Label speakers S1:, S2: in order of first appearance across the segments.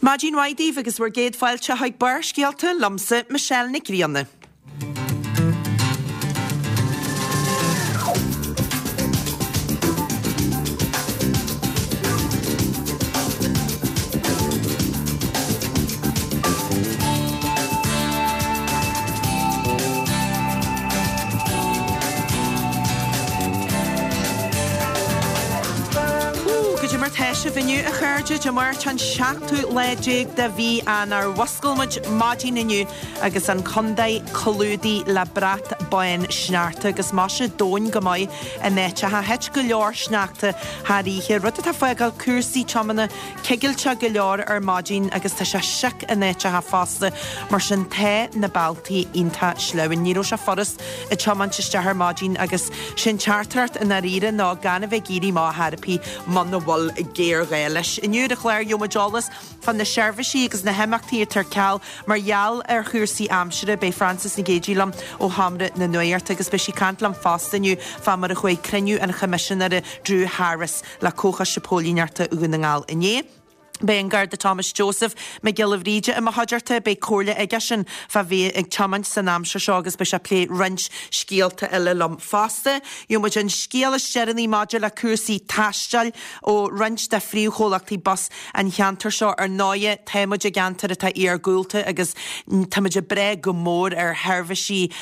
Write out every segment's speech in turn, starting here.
S1: Maidin mhaith daoibh agus bhur gcéad fáilte chuig Barrscéalta liomsa, Michelle Nic Grianna. Goidé mar tá sibh inniu, a chairde? Dé Máirt an seachtú lá déag de mhí Eanáir. Mhuscail muid maidin inniu agus an contae clúdaithe le brat bán sneachta agus maise domhain go maith in áiteacha. Thit go leor sneachta thar oíche, rud atá ag fágáil cúrsaí tiomána cigilteach go leor ar maidin agus tá sé sioc in áiteacha fosta, mar sin tá na bealtaí iontach sleamhain. Ní raibh sé furast ag tiomáint isteach ar maidin agus sé an teachtaireacht i ndáiríre ná gan a bheith ag éirí amach ar chor ar bith muna bhfuil géarghá leis. Inniu ar an chlár gheobhaidh muid eolas fá na seirbhísí agus na himeachtaí atá ar ceal mar gheall ar chúrsaí aimsire. Beidh Frances Nic Géadaigh liom ó Sheomra na Nuachta agus beidh sí ag caint liom fosta inniu fá mar a chuaigh cruinniú an Choimisinéara Drew Harris le Comhchoiste Póilíneachta Dhún na nGall inné. Beidh an Garda Thomas Joseph Mac Giolla Bhríde i mo chuideachta. Beidh comhairle aigesean fá bheith ag tiomáint san aimsir seo agus beidh sé ag plé roinnt scéalta eile liom fosta. Gheobhaidh muid an scéal is deireanaí maidir le cúrsaí taistil ó roinnt de phríomhchomhlachtaí bus an cheantair seo. Ar ndóighe, tá muid i gceantar atá iargúlta agus tá muid ag brath go mór ar sheirbhísí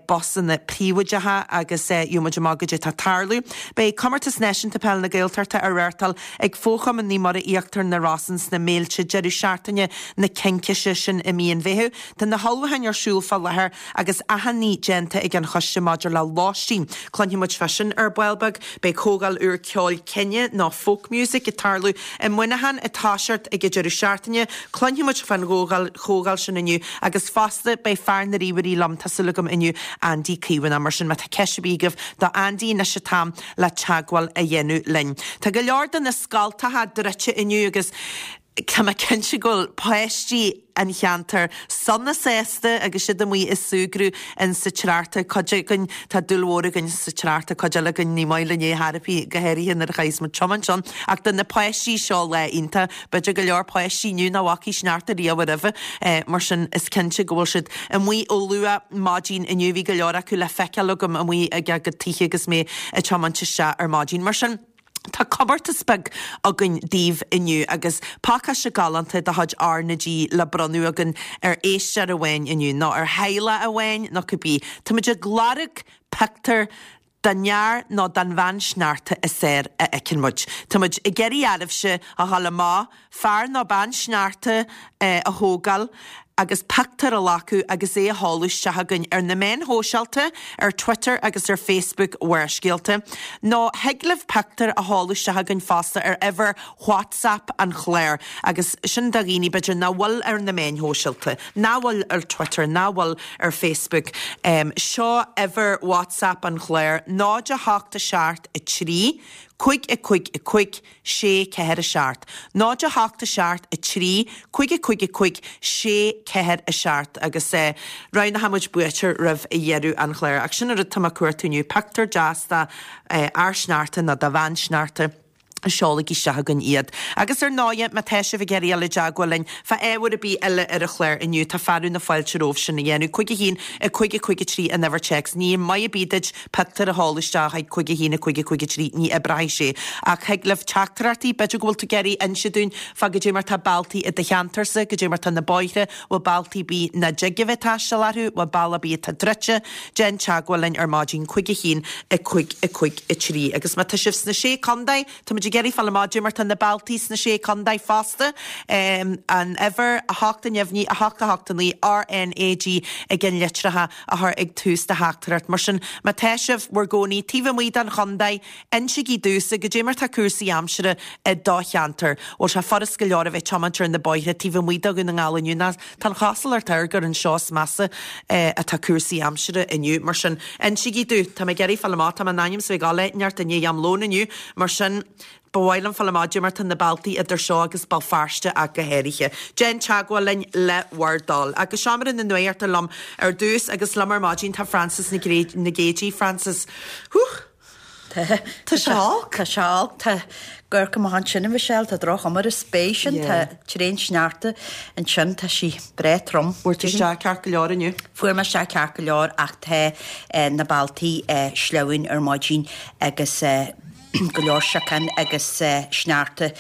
S1: busanna príobháideacha agus gheobhaidh muid amach goidé atá ag tarlú. Beidh Comórtas Náisiúnta Peile na Gaeltachta á reáchtáil ag Fo-Chumann Naomh Muire Íochtar na Rosann sna Méilte deireadh seachtaine na Cincíse sin i mí an Mheithimh. Tá na hullmhúcháin ar siúl fá láthair agus achan ní déanta ag an choiste maidir le lóistín. Cluinfidh muid fá sin ar ball beag. Beidh comhdháil úr ceoil cine nó folk music ag tarlú i Muineachán ag toiseacht ag an deireadh seachtaine. Cluinfidh muid fán chomhdháil sin inniu agus fosta beidh fear na ríomhairí liom, tá súil agam inniu, Andy Caomhánach. Mar sin má tá ceist ar bith agaibh do Andy anois an t-am le teagmháil a dhéanamh linn. Tá go leor de na scoltacha druidte inniu agus tá mé cinnte go bhfuil páistí an cheantair sona sásta agus siad amuigh ag súgradh in sa tsneachta. Cuid againn, tá dúil mhór againn sa tsneachta, cuid eile againn ní maith linn é chor ar bith, go háirithe nuair a chaithfeas muid tiomáint ann. Ach do na páistí seo lá iontach. B'fhéidir go leor páistí inniu nach bhfacaidh sneachta riamh roimhe, mar sin is cinnte go bhfuil siad amuigh ó luath maidin inniu. Bhí go leor acu le feiceáil agam amuigh ag a gcuid tithe agus mé ag tiomáint isteach ar maidin. Mar sin, tá comórtas beag againn daoibh inniu agus pacáiste galánta de chuid R na G le bronnadh againn ar éisteoir amháin inniu, nó ar theaghlach amháin, nó cibé. Táimid ag lorg pictiúr den fhear nó den bhean sneachta is fearr a fheiceann muid. Tá muid ag iarraidh oraibhse a dhul amach, fear nó bean sneachta a thógáil agus pictiúr a ghlacadh agus é a sheoladh isteach chugainn ar na meáin shóisialta, ar Twitter agus ar Facebook Bharrscéalta. Nó thig libh pictiúr a sheoladh isteach chugainn fosta ar uimhir WhatsApp an chláir agus sin do dhaoine b'fhéidir nach bhfuil ar na meáin shóisialta, nach bhfuil ar Twitter, nach bhfuil ar Facebook. Seo uimhir WhatsApp an chláir, 0 8 7 3 5 5 5 6 4 7. 0 8 7 3 5 5 5 6 4 7 agus roghnóidh muid buaiteoir roimh dheireadh an chláir. Ach sin an rud atá mé ag cuartú inniu, pictiúr deas de fhear sneachta nó de bhean sneachta. Seolaigí isteach chugainn iad. Agus ar ndóighe, má tá sibh ag iarraidh dul i dteagmháil linn fá ábhar ar bith eile ar an chlár inniu, tá fearadh na fáilte romhaibh sin a dhéanamh. 5 1 5 5 3 an uimhir téacs. Ní maith ar bith duit pictiúr a sheoladh isteach chuig 5 1 5 5 3, ní oibreoidh sé. Ach thig libh teachtaireachtaí, b'fhéidir go bhfuil tú ag iarraidh inse dúinn fá goidé mar tá bealtaí i do cheantarsa, goidé mar tá na bóithre, bhfuil bealtaí ar bith nach dtig a bheith ag taisteal orthu, bhfuil bealach ar bith atá druidte. Déan teagmháil linn ar maidin 5 1 5 5 3. Agus má tá sibh sna Sé Contae, tá muid ag iarraidh fáil amach goidé mar tá na bealtaí sna Sé Contae fosta. An uimhir, 8 a neamhní, 8 8 9, RNAG ag an litreacha a chur ag tús do theachtaireacht. Mar sin, má tá sibh bhur gcónaí taobh amuigh den chontae, insígí domhsa goidé mar tá cúrsaí aimsire i do cheantar. Bhfuil sé furast go leor a bheith ag tiomáint ar na bóithre taobh amuigh de Dhún na nGall inniu nó Tá an chosúlacht air gur anseo is measa atá cúrsaí aimsire inniu. Mar sin, insígí domh. Tá mé ag iarraidh fáil amach. Tá mé in ainm is a bheith ag gabháil áit inteacht i ndiaidh am lóin inniu. Mar sin, ba mhaith liom fáil amach goidé mar tá na bealtaí idir seo agus Béal Feirste ach go háirithe. Déan teagmháil linn le bhur dtoil. Agus Seomra na Nuachta liom ar dtús agus liom ar maidin tá Frances Nic Géadaigh. Frances, Whew!
S2: Tá.
S1: Tá sé olc.
S2: Tá sé olc. Tá amharc amach ansin, a Mhichelle, tá droch-chuma ar an spéir sin, tá tréan-sneachta ansin, tá sí breá trom.
S1: Fuair tú isteach ceart go leor inniu?
S2: Fuair mé isteach ceart go leor ach tá na bealtaí sleamhain ar maidin agus go leor siocán agus sneachta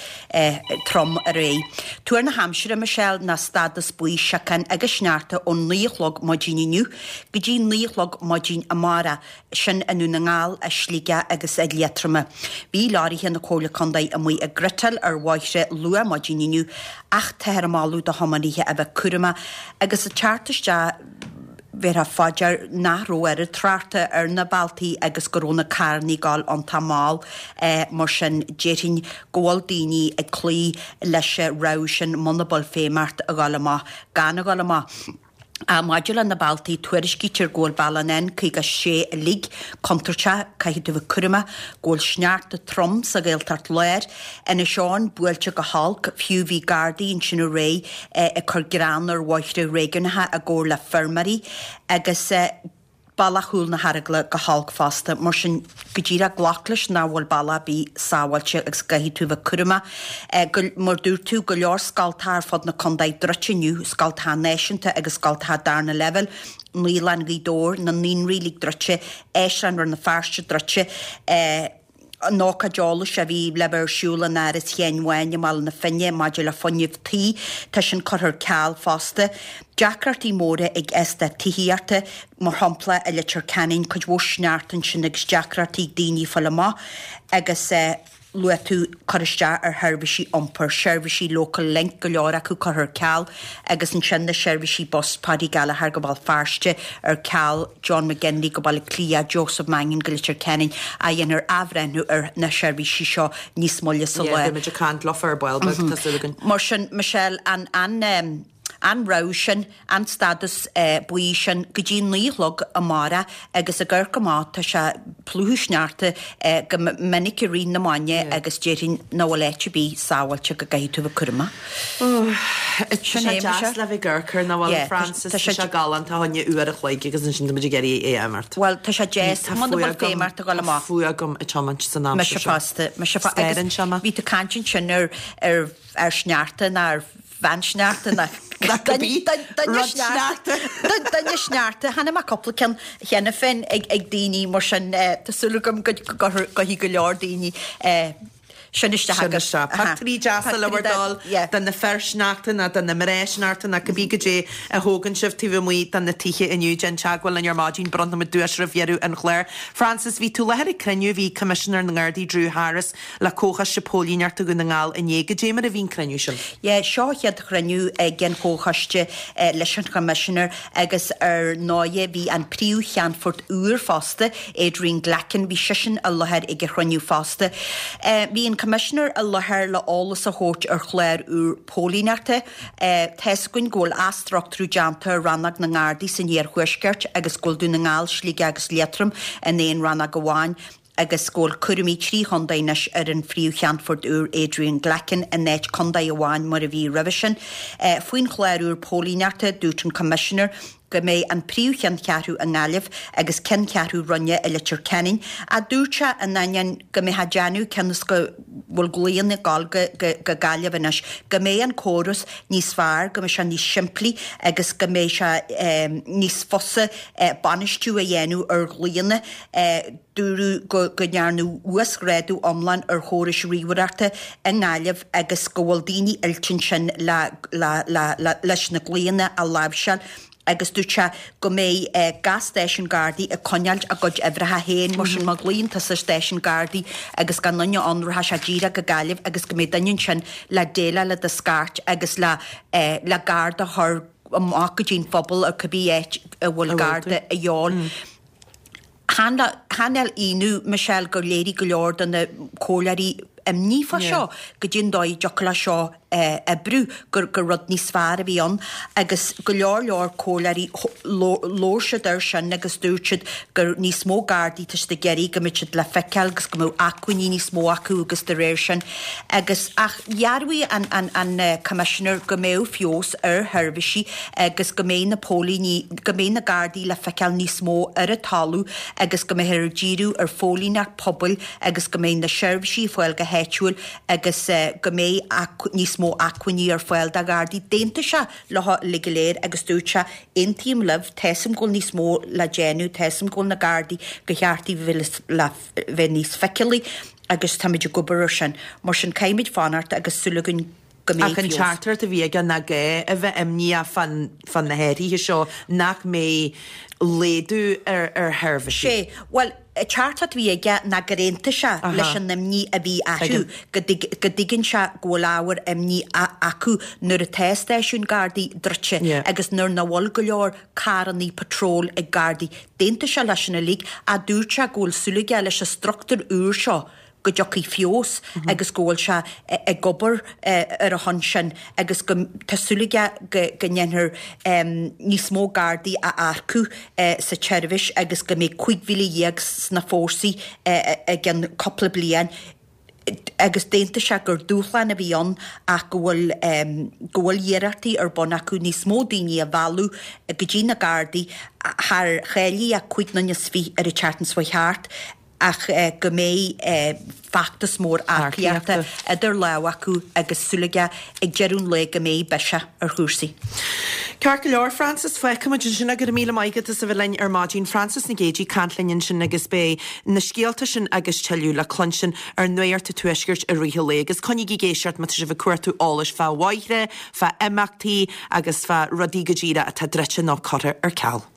S2: trom aréir. Tuar na haimsire, Michelle, ná stádas buí siocán agus sneachta ón 9 a chlog maidin inniu go dtí 9 a chlog maidin amárach. sin i nDún na nGall, i Sligeach agus i Liatroma. Bhí leoraithe na Comhairle Contae amuigh ag gritteáil ar bhóithre luath maidin inniu ach táthar ag moladh do thiománaithe a bheith cúramach agus ag teacht isteach bhéarfá fá dear nach raibh oiread tráchta ar na bealtaí agus go raibh na carrannaí ag gabháil iontach mall mar sin déarfainn go bhfuil daoine ag cloí leis an rabhadh sin muna bhfuil feidhm ort a ghabháil amach gan a ghabháil amach. Maidir le na bealtaí, tuairiscítear go bhfuil bealach an N56 uilig contúirteach, caithfidh tú bheith cúramach, go bhfuil sneachta trom sa Ghaeltacht Láir, Inis Eoghain buailte go holc, fiú bhí Gardaí ansin aréir ag cur grean ar bhóithre réigiúnacha i gcomhar le feirmeoirí agus. Bealach Chúl na hEaragla go holc fosta, mar sin go díreach glac leis nach bhfuil bealach ar bith sábháilte agus go gcaithfidh tú a bheith cúramach. Go, mar dúirt tú, go leor scoltacha ar fud na contae druidte inniu, scoltacha náisiúnta agus scoltacha darna leibhéal, Naíolann Ghaoth Dobhair, na naíonraí uilig druidte, Áislann Rann na Feirste druidte, An ócáid eolais a bhí le bheith ar siúl in Áras Sheáin Bháin i mBaile na Finne maidir le fuinneamh tí, tá sin curtha ar ceal fosta. Deacrachtaí móra ag eastát tithíochta, mar shampla i Leitir Ceanainn, cuid mhór sneachta ansin agus deacrachtaí ag daoine fáil amach agus luaigh tú cur isteach ar sheirbhísí iompair, seirbhísí Local Link, go leor acu curtha ar ceal agus ansin na seirbhísí bus, Paddy Gallagher go Béal Feirste ar ceal. John McGinley go Baile Átha Cliath, Joseph Mannion go Leitir Ceanainn, a dhéanfar athbhreithniú ar na seirbhísí seo níos moille sa
S1: lá. Beidh muid ag caint leofa ar ball beag, tá súil againn.
S2: Mar sin, Michelle, an an an rabhadh sin, an stádas buí sin go dtí 9 a chlog amárach agus ag amharc amach tá sé plúchadh sneachta go minic i rith na maidine agus déarfainn nach bhfuil áit ar bith sábháilte go gcaithfidh tú a bheith cúramach.
S1: Tá sé deas le bheith ag amharc air, nach bhfuil, Frances? Tá sé galánta fá choinne uair a chloig agus ansin tá muid ag iarraidh é a imeacht.
S2: Bhuel, tá sé deas muna bhfuil feidhm ort a dhul amach.
S1: Tá fuath agam ag tiomáint san aimsir
S2: seo. Mise fosta, mise fosta.
S1: Scanraíonn sé mé.
S2: Bhí tú ag caint ansin ar ar fhear sneachta ná ar bhean sneachta ná duine sneachta. Duine sneachta. Chonaic mé cúpla ceann cheana féin ag daoine mar sin tá súil agam go gcuirfidh go leor daoine Sin isteach
S1: Sin isteach. Pictiúirí deasa le bhur dtoil de na fir sneachta nó de na mná sneachta nó cibé goidé a thógann sibh taobh amuigh de na tithe inniu. Déan teagmháil linn ar maidin, bronnfaidh muid duais roimh dheireadh an chláir. Frances, bhí tú i láthair ag cruinniú a bhí ag Coimisinéir na nGardaí Drew Harris le Comhchoiste Póilíneachta Dhún na nGall inné. Goidé mar a bhí an cruinniú sin?
S2: Yeah, seo an chéad chruinniú ag an Chomhchoiste leis an Choimisinéir agus ar ndóighe bhí an Príomh-Cheannfort úr fosta, Adrian Glackin, bhí seisean i láthair ag an chruinniú fosta. Bhí an Coimisinéir i láthair le eolas a thabhairt ar chlár úr póilíneachta. Tá's againn go bhfuil athstruchtúrú déanta ar Rannóg na nGardaí san Iarthuaisceart agus go bhfuil Dún na nGall, Sligeach agus Liatroim in aon rannóg amháin agus go bhfuil cúraimí trí chontae anois ar an Phríomh-Cheannfort úr Adrian Glackin in áit contae amháin mar a bhí roimhe sin. Faoin chlár úr póilíneachta, dúirt an Coimisinéir go mbeidh an príomh-cheanncheathrú i nGaillimh agus ceanncheathrú roinne i Leitir Ceanainn, ach dúirt sé, in ainneoin go mbeifeá ag déanamh cionn is go bhfuil glaonna ag dul go Gaillimh anois, go mbeidh an córas níos fearr, go mbeidh sé níos simplí agus go mbeidh sé níos fusa bainistiú a dhéanamh ar ghlaonna. Dúradh go ndearnadh uasghrádú iomlán ar chórais ríomhaireachta i nGaillimh agus go bhfuil daoine oilte ansin leis na glaonna a láimhseáil agus dúirt sé go mbeidh gach stáisiún Gardaí ag coinneáilt a gcuid uimhreacha féin, mar sin má ghlaonn tusa ar stáisiún Gardaí agus gan duine ann rachaidh sé díreach go Gaillimh agus go mbeidh duine ansin le déileáil le do scairt agus le le Garda a chur amach go dtí an phobal ar cibé áit a bhfuil Garda a dhíobháil. Chan eil ionadh, Michelle, gur léirigh go leor de na comhairleoirí. imní fá seo, goidé an dóigh a dtiocfadh le seo oibriú, gur gur rud níos fearr a bhí ann agus go leor leor comhairleoirí labhair siad air sin agus dúirt siad gur níos mó Gardaí tá siad ag iarraidh go mbeadh siad le feiceáil agus go mbeadh acmhainní níos mó acu agus de réir sin agus ach dhearbhaigh an an an Commissioner go mbeadh feabhas ar sheirbhísí agus go mbeidh na póilíní go mbeidh na Gardaí le feiceáil níos mó ar an talamh agus go mbeifear ag díriú ar phóilíneacht pobail agus go mbeidh na seirbhísí ar fáil go háitiúil agus go mbeidh níos mó acmhainní ar fáil do Ghardaí. D'aontaigh sé leo uilig go léir agus dúirt sé, Aontaím libh, tá 'fhios a'm go bhfuil níos mó le déanamh, tá 'fhios a'm go bhfuil na Gardaí, gur cheart dóibh le bheith níos feiceálaí agus táimid ag obair ar sin. Mar sin caithfimid fanacht agus súil againn go mbeidh
S1: Ach an
S2: feabhas.
S1: teachtaireacht a bhí aige ná gá a bheith imníoch fá na hathruithe seo, nach mbeidh laghdú ar sheirbhísí.
S2: Sé, bhuel, an teachtaireacht a bhí aige ná gur aontaigh sé leis an imní a bhí acu, go dtuigeann sé go bhfuil ábhar imní acu nuair atá stáisiúin Gardaí druidte agus nuair nach bhfuil go leor carrannaí patrol ag Gardaí. D'aontaigh sé leis sin uilig ach dúirt sé go bhfuil súil aige leis an struchtúr úr seo go dtiocfaidh feabhas agus go bhfuil sé ag obair ar a shon sin agus go tá súil aige go go ndéanfar níos mó Gardaí a earcú sa tseirbhís agus go mbeidh 15,000 sna fórsaí i gceann cúpla bliain agus d'aontaigh sé gur dúshlán a bhí ann ach go bhfuil go bhfuil iarrachtaí ar bun acu níos mó daoine a mhealladh go dtí na Gardaí thar cháiligh 25 nóiméad ar an tseachtain seo thart. ach go mbeidh feachtas mór earcaíochta idir lámha acu agus súil aige ag deireadh an lae go mbeidh biseach ar chúrsaí.
S1: Ceart go leor, Frances, fágfaimid ansin é. Go raibh míle maith agat as a bheith linn ar maidin. Frances Nic Géadaigh ag caint linn ansin agus beidh na scéalta sin agus tuilleadh le cluinstin ar Nuacht an Tuaiscirt i rith an lae. Agus coinnígí ag éisteacht má tá sibh ag cuartú eolais fá bhóithre, fá imeachtaí agus fá rudaí go díreach atá druidte nó curtha ar ceal.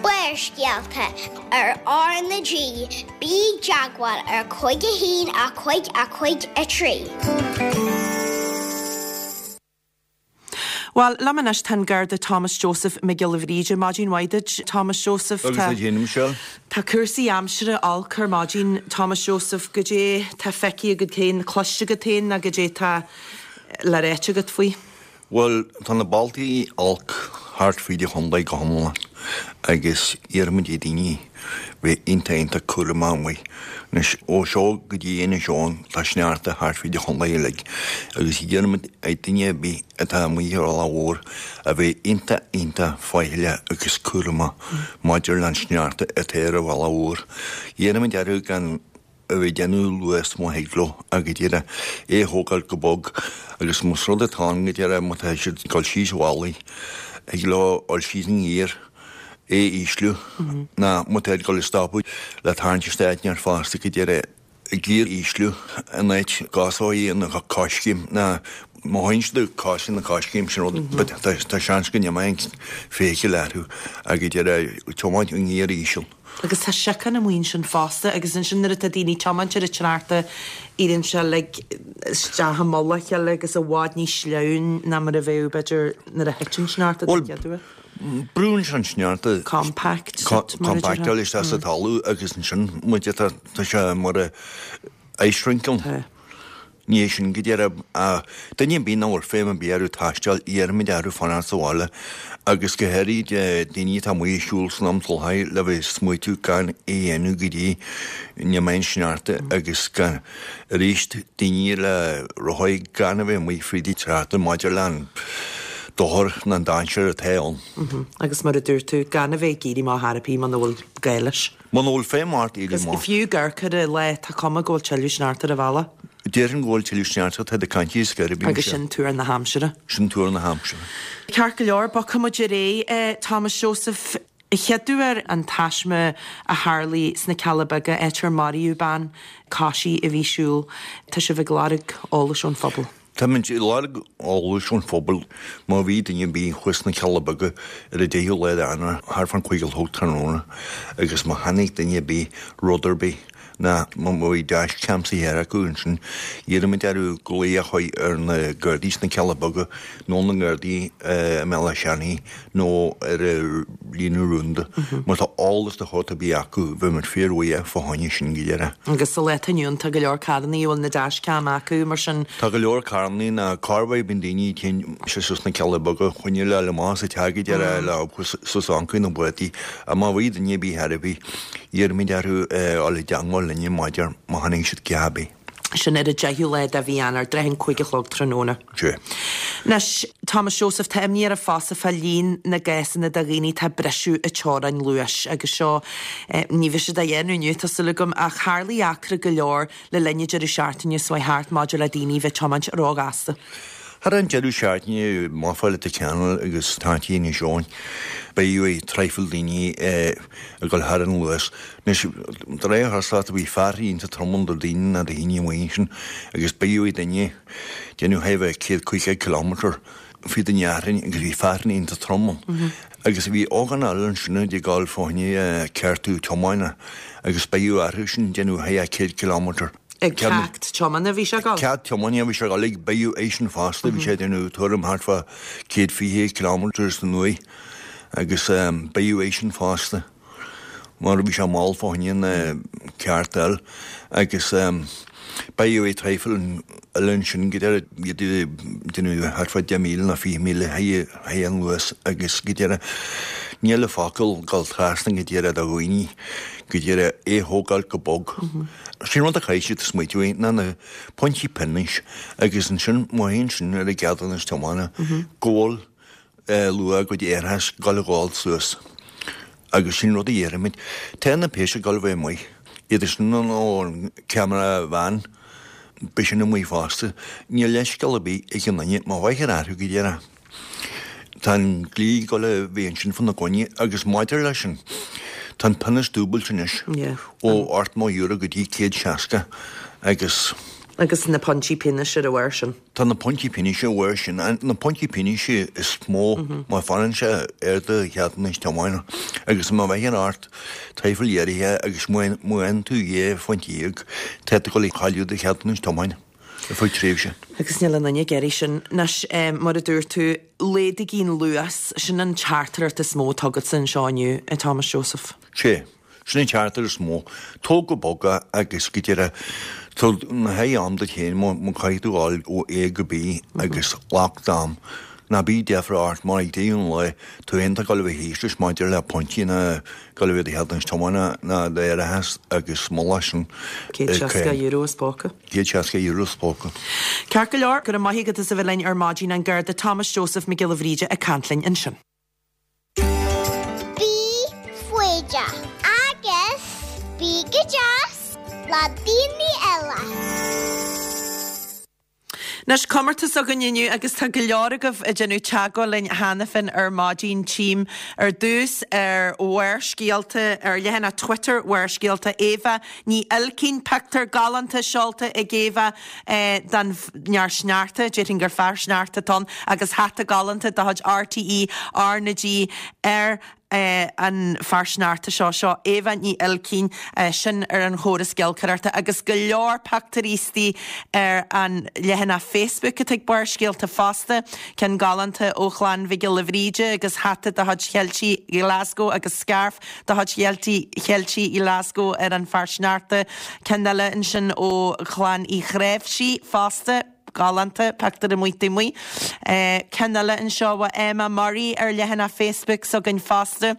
S3: Barrscéalta ar R na G, bí i dteagmháil ar 5 1 5 5 3.
S1: Bhuel, liom anois tá an Garda Thomas Joseph Mac Giolla Bhríde. Maidin mhaith duit, Thomas Joseph.
S4: Agus duit féin, Michelle.
S1: Tá cúrsaí aimsire olc ar maidin, Thomas Joseph. Goidé tá feicthe agat féin, cloiste agat féin, nó goidé tá le ráit agat faoi?
S4: Bhuel, tá na bealtaí olc thart fríd an chontae go hiomlán agus iarraimid ar daoine bheith iontach iontach cúramach amuigh. Anois, ó seo go dtí Inis Eoghain tá sneachta thart fríd an chontae uilig agus iarraimid ar duine ar bith atá amuigh ar an bhealach mhór a bheith iontach iontach faichilleach agus cúramach maidir leis an sneachta atá ar an bhealach mhór. Iarraimid orthu gan a bheith ag déanamh luas má thig leo ach go díreach é a thógáil go bog agus más rud atá ann go díreach má tá siad ag dul síos an bhealaigh thig leo dul síos i ngiar é a ísliú ná má tá ag dul ag stopadh le tarraingt isteach áit inteacht fosta go díreach giar a ísliú in áit go dtosóidh an coiscéim ná má théann siad ag coiscéim na coiscéim sin rud but tá seans go n-imeoidh an feithicil orthu ach go díreach tiomáint i ngiar íseal.
S1: Agus tá siocán amuigh ansin fosta agus ansin nuair atá daoine ag tiomáint ar an tsneachta éiríonn sé like isteach i mullach a chéile agus i bhfad níos sleamhain ná mar a bheadh b'fhéidir nuair a thit an sneachta den
S4: Bhuel,
S1: chéad uair.
S4: brúnn sé an sneachta
S1: Compact, mar a déarfá.
S4: compactáil isteach sa talamh agus ansin muid tá tá sé mar a ice rink ann.
S1: Tá.
S4: Ní hé sin go díreach, ach duine ar bith nach bhfuil feidhm ar bith orthu taisteal, iarraimid orthu fanacht sa bhaile agus go háirid daoine atá amuigh ag siúl san am soláthair le bheith ag smaoitiú gan é a dhéanamh go dtí go n-imeoidh an sneachta agus gan arís daoine le rothaí gan a bheith amuigh fríd an tsneachta maidir le an dochar nó an dainséar atá ann.
S1: Agus mar a dúirt tú, gan a bheith ag éirí amach ar bith muna bhfuil gá leis.
S4: Muna bhfuil feidhm ort éirí
S1: Agus
S4: amach.
S1: fiú ag amharc ar an lá, tá cuma go bhfuil tuilleadh sneachta ar an bhealach.
S4: Déarfainn go bhfuil tuilleadh sneachta, tá ag caint ar scor ar bith
S1: Agus sin tuar na haimsire.
S4: Sin tuar na haimsire.
S1: Ceart go leor, bogfaidh muid ar aghaidh, Thomas Joseph. An chéad uair an taisme a tharlaigh sna Cealla Beaga, áit ar maraíodh bean coisí a bhí ag siúl. Tá sibh ag lorg eolais ón phobal.
S4: Táimid ag lorg eolais ón phobal má bhí duine ar bith thuas sna Cealla Beaga ar an 10ú lá d'Eanáir thart fán chúig a chlog tráthnóna agus má chonaic duine ar bith rud ar bith. Ná má bhí dash cam sa cheantar acu ansin, iarraimid orthu glaoch a chur ar na Gardaí sna Cealla Beaga nó na Gardaí i mBéal Átha Seanaidh nó ar an líne rúnda. Má tá eolas de shórt ar bith acu, bheimid fíorbhuíoch fá choinne sin go léir.
S1: Agus sa lá atá inniu ann tá go leor carrannaí a bhfuil na dash cam acu, mar sin.
S4: Tá go leor carrannaí ná corruair bíonn daoine téann sé suas na Cealla Beaga choinne le amach as an teach go deireadh le suas ancaí na bplátaí. Má bhí duine ar bith ar bith. Iarraimid orthu dul i dteangmháil linne maidir má chonaic siad a dhath ar bith.
S1: Sin ar an 10ú lá de mhí Eanáir, i dtrátha an 5 a chlog tráthnóna.
S4: Sea.
S1: Anois, Thomas Joseph, tá imní oraibh fosta fá líon na gcásanna de dhaoine atá ag briseadh an teorainn luais agus seo, ní bheidh siad á dhéanamh inniu, tá súil agam, ach tharlaigh eachtra go leor le linn an deireadh seachtaine seo chuaigh thart maidir le daoine a bheith ag tiomáint róghasta.
S4: Thar an deireadh seachtaine, amach fá Leitir Ceanainn agus Taití Inis Eoghain, bádh traidhfil daoine ag dul thar an luas. Anois, de réir chosúlachta, bhí fear iontach trom ann do daoine ná do dhaoine amuigh ansin agus bádh duine, déanamh thar 150 kilometre fríd an fhearthainn agus bhí fearthainn iontach trom ann. Agus bhí ógánach eile ansin ag dul fá choinne ceartú tiomána agus bádh orthu sin déanamh thar 100 kilometre.
S1: Ag ceacht tiomána a bhí sé ag dul?
S4: Ceacht tiomána a bhí sé ag dul ag bádh eisean fosta, bhí sé ag déanamh tuairim thart fá 120 kilometre san uair agus bádh eisean fosta mar bhí sé mall fá choinne na ceart a fháil agus bádh é traidhfil eile ansin go deireadh iad ag déanamh thart fá 10,000 nó 20,000 thar an luas agus go deireadh níl focal dul trasna go deireadh do dhaoine go deireadh é thógáil go bog. Sin rud a chaithfidh siad smaoitiú air ná na pointí pionóis agus ansin má théann sin ar a gceadúnas tiomána go bhfuil luach a gcuid árachais ag dul a ghabháil suas agus sin rud a iarraimid. Tá na péas ag dul a bheith amuigh, iad sin nó an ceamara veain, beidh sin amuigh fosta. Níl leithscéal ar bith ag aon duine má bheifear orthu go díreach. Tá an dlí ag dul a bheith ansin fána gcoinne agus maidir leis sin, tá an pionós dúbailte anois ó €80 go dtí 160 agus.
S1: Agus na pointí pionóis ar a bharr sin.
S4: Tá na pointí pionóis ar a bharr sin, na pointí pionóis is mó má fanann sé ar do cheadúnas tiomána agus má bheifear ort traidhfil uairithe agus má fhaigheann tú 12 phointe, tá tú ag dul a chailleadh do cheadúnas tiomána. ar feadh tréimhse.
S1: Agus níl aon duine ag iarraidh sin. Anois, mar a dúirt tú, laghdaígí an luas, sin an teachtaireacht is mó atá agatsa anseo inniu, a Thomas Joseph.
S4: Sea, sin an teachtaireacht is mó. Tóg go bog é agus go deireadh, tabhair na haghaidh am duit féin má caithfidh tú dul ó A go B agus glac d'am. Ná bíodh deifir ort mar ag deireadh an lae, tú féin atá ag dul a bheith thíos leis maidir le pointí ná ag dul a bheith do cheadúnas tiomána ná d'árachas agus moladh sin.
S1: €160 as póca.
S4: €160 as póca.
S1: Ceart go leor, go raibh maith agat as a bheith linn ar maidin, an Garda Thomas Joseph Mac Giolla Bhríde ag caint linn ansin.
S3: Bí foighdeach agus bí go deas le daoine eile.
S1: Anois, comórtas againn inniu agus tá go leor agaibh ag déanamh teagmháil linn cheana féin ar maidin. Tchím ar dtús ar Bharrscéalta, ar leathanach Twitter Bharrscéalta, Éabha Ní Uilcín, pictiúr galánta seolta ag Éabha den fhear sneachta, déarfainn gur fear sneachta atá ann, agus hata galánta de chuid RTÉ R na G ar an fear sneachta seo, seo Éabha Ní Uilcín, sin ar an chóras giolcaireachta agus go leor pictiúirí istigh ar an leathanach Facebook atá ag Barrscéalta fosta, ceann galánta ó chlann Mhic Giolla Bhríde agus hata de chuid Cheiltigh Ghlasgow agus scairf de chuid Cheiltigh Ghlasgow ar an fear sneachta, ceann eile ansin ó chlann Uí Chnáimhsí fosta. Galánta, pictiúr amuigh taobh amuigh. Ceann eile anseo ó Emma Murray ar leathanach Facebook s'againn fosta.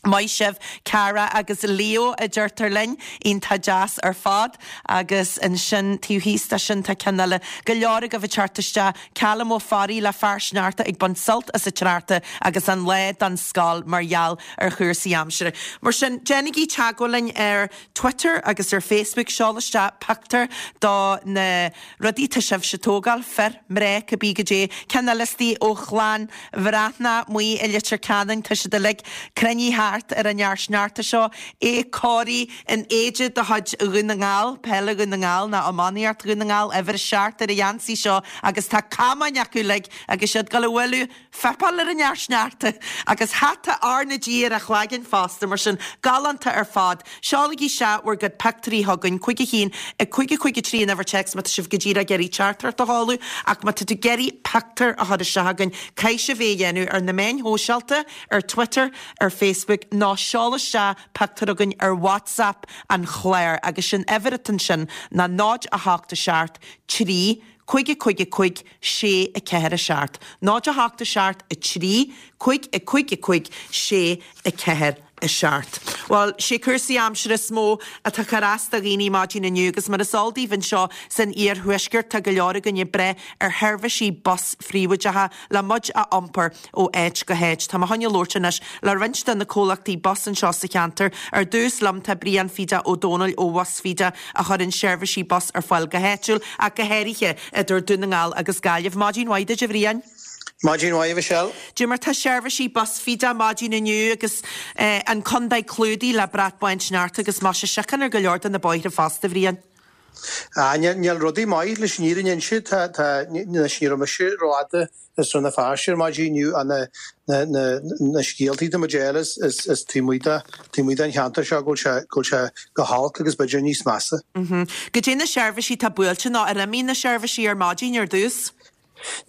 S1: Maith sibh, Cara agus Leo, a deirtear linn. Iontach deas ar fad. Agus ansin taobh thíos de sin tá ceann eile. Go leor agaibh ag teacht isteach. Callum Ó Fearraigh le fear sneachta ag baint sult as an tsneachta agus an lá don scoil mar gheall ar chúrsaí aimsire. Mar sin, déanaigí teagmháil linn ar Twitter agus ar Facebook. Seol isteach pictiúr do na. Rudaí atá sibhse ag tógáil, fir, mná, cibé goidé. Ceann eile istigh ó chlann Bhreathnach amuigh i Leitir Ceanainn, tá siad uilig cruinnithe. 7 ar an fhear sneachta seo, é cóirithe in éide de chuid Dhún na nGall, peile Dhún na nGall nó iománaíocht Dhún na nGall, uimhir 7 ar a gheansaí seo agus tá camáin acu uilig agus iad ag dul a bhualadh fuipeáil ar an fhear sneachta agus hata R na G ar a chlaigeann fosta, mar sin, galánta ar fad. Seolaigí isteach bhur gcuid pictiúirí chugainn, 5 1, 5 5 3 an uimhir téacs má tá sibh go díreach ag iarraidh teachtaireacht a sheoladh, ach má tá tú ag iarraidh pictiúr a chur isteach chugainn, caithfidh sibh é a dhéanamh ar na meáin shóisialta, ar Twitter, ar Facebook, nó seol isteach pictiúr chugainn ar WhatsApp an chláir agus sin uimhir atá ansin ná 0 8 7 3 5 5 5 6 4 7 0 8 7 3 5 5 5 6 4 7. Bhuel, sé cúrsaí aimsire is mó atá ag cur as do dhaoine maidin inniu agus mar is eol daoibh anseo san iarthuaisceart tá go leor againn ag brath ar sheirbhísí bus phríobháideacha le muid a iompar ó áit go háit. Tá mé chun labhairt anois le roinnt de na comhlachtaí bus anseo sa cheantar. Ar dtús liom tá Brian Pheda Ó Dónaill ó Bhus Pheda a chuireann seirbhísí bus ar fáil go háitiúil ach go háirithe idir Dún na nGall agus Gaillimh. Maidin mhaith duit a Bhriain.
S5: Maidin mhaith a Mhichelle.
S1: Dé mar tá seirbhísí Bus Pheda maidin inniu agus an contae clúdaithe le brat bán sneachta agus muise síocháin ar go leor de na bóithre fosta, a Bhriain.
S5: Ah, níl rudaí maith leis an fhírinne a inse. Tá, tá, anois ní raibh mise rófhada i Srath na Feirste ar maidin inniu ach na, na, na, na scéaltaí atá muid a fháil as, as, as taobh amuigh de, taobh amuigh den cheantar seo go bhfuil sé, go bhfuil sé go holc agus b'fhéidir níos measa.
S1: Goidé na seirbhísí atá buailte nó ar imigh na seirbhísí ar maidin ar dtús?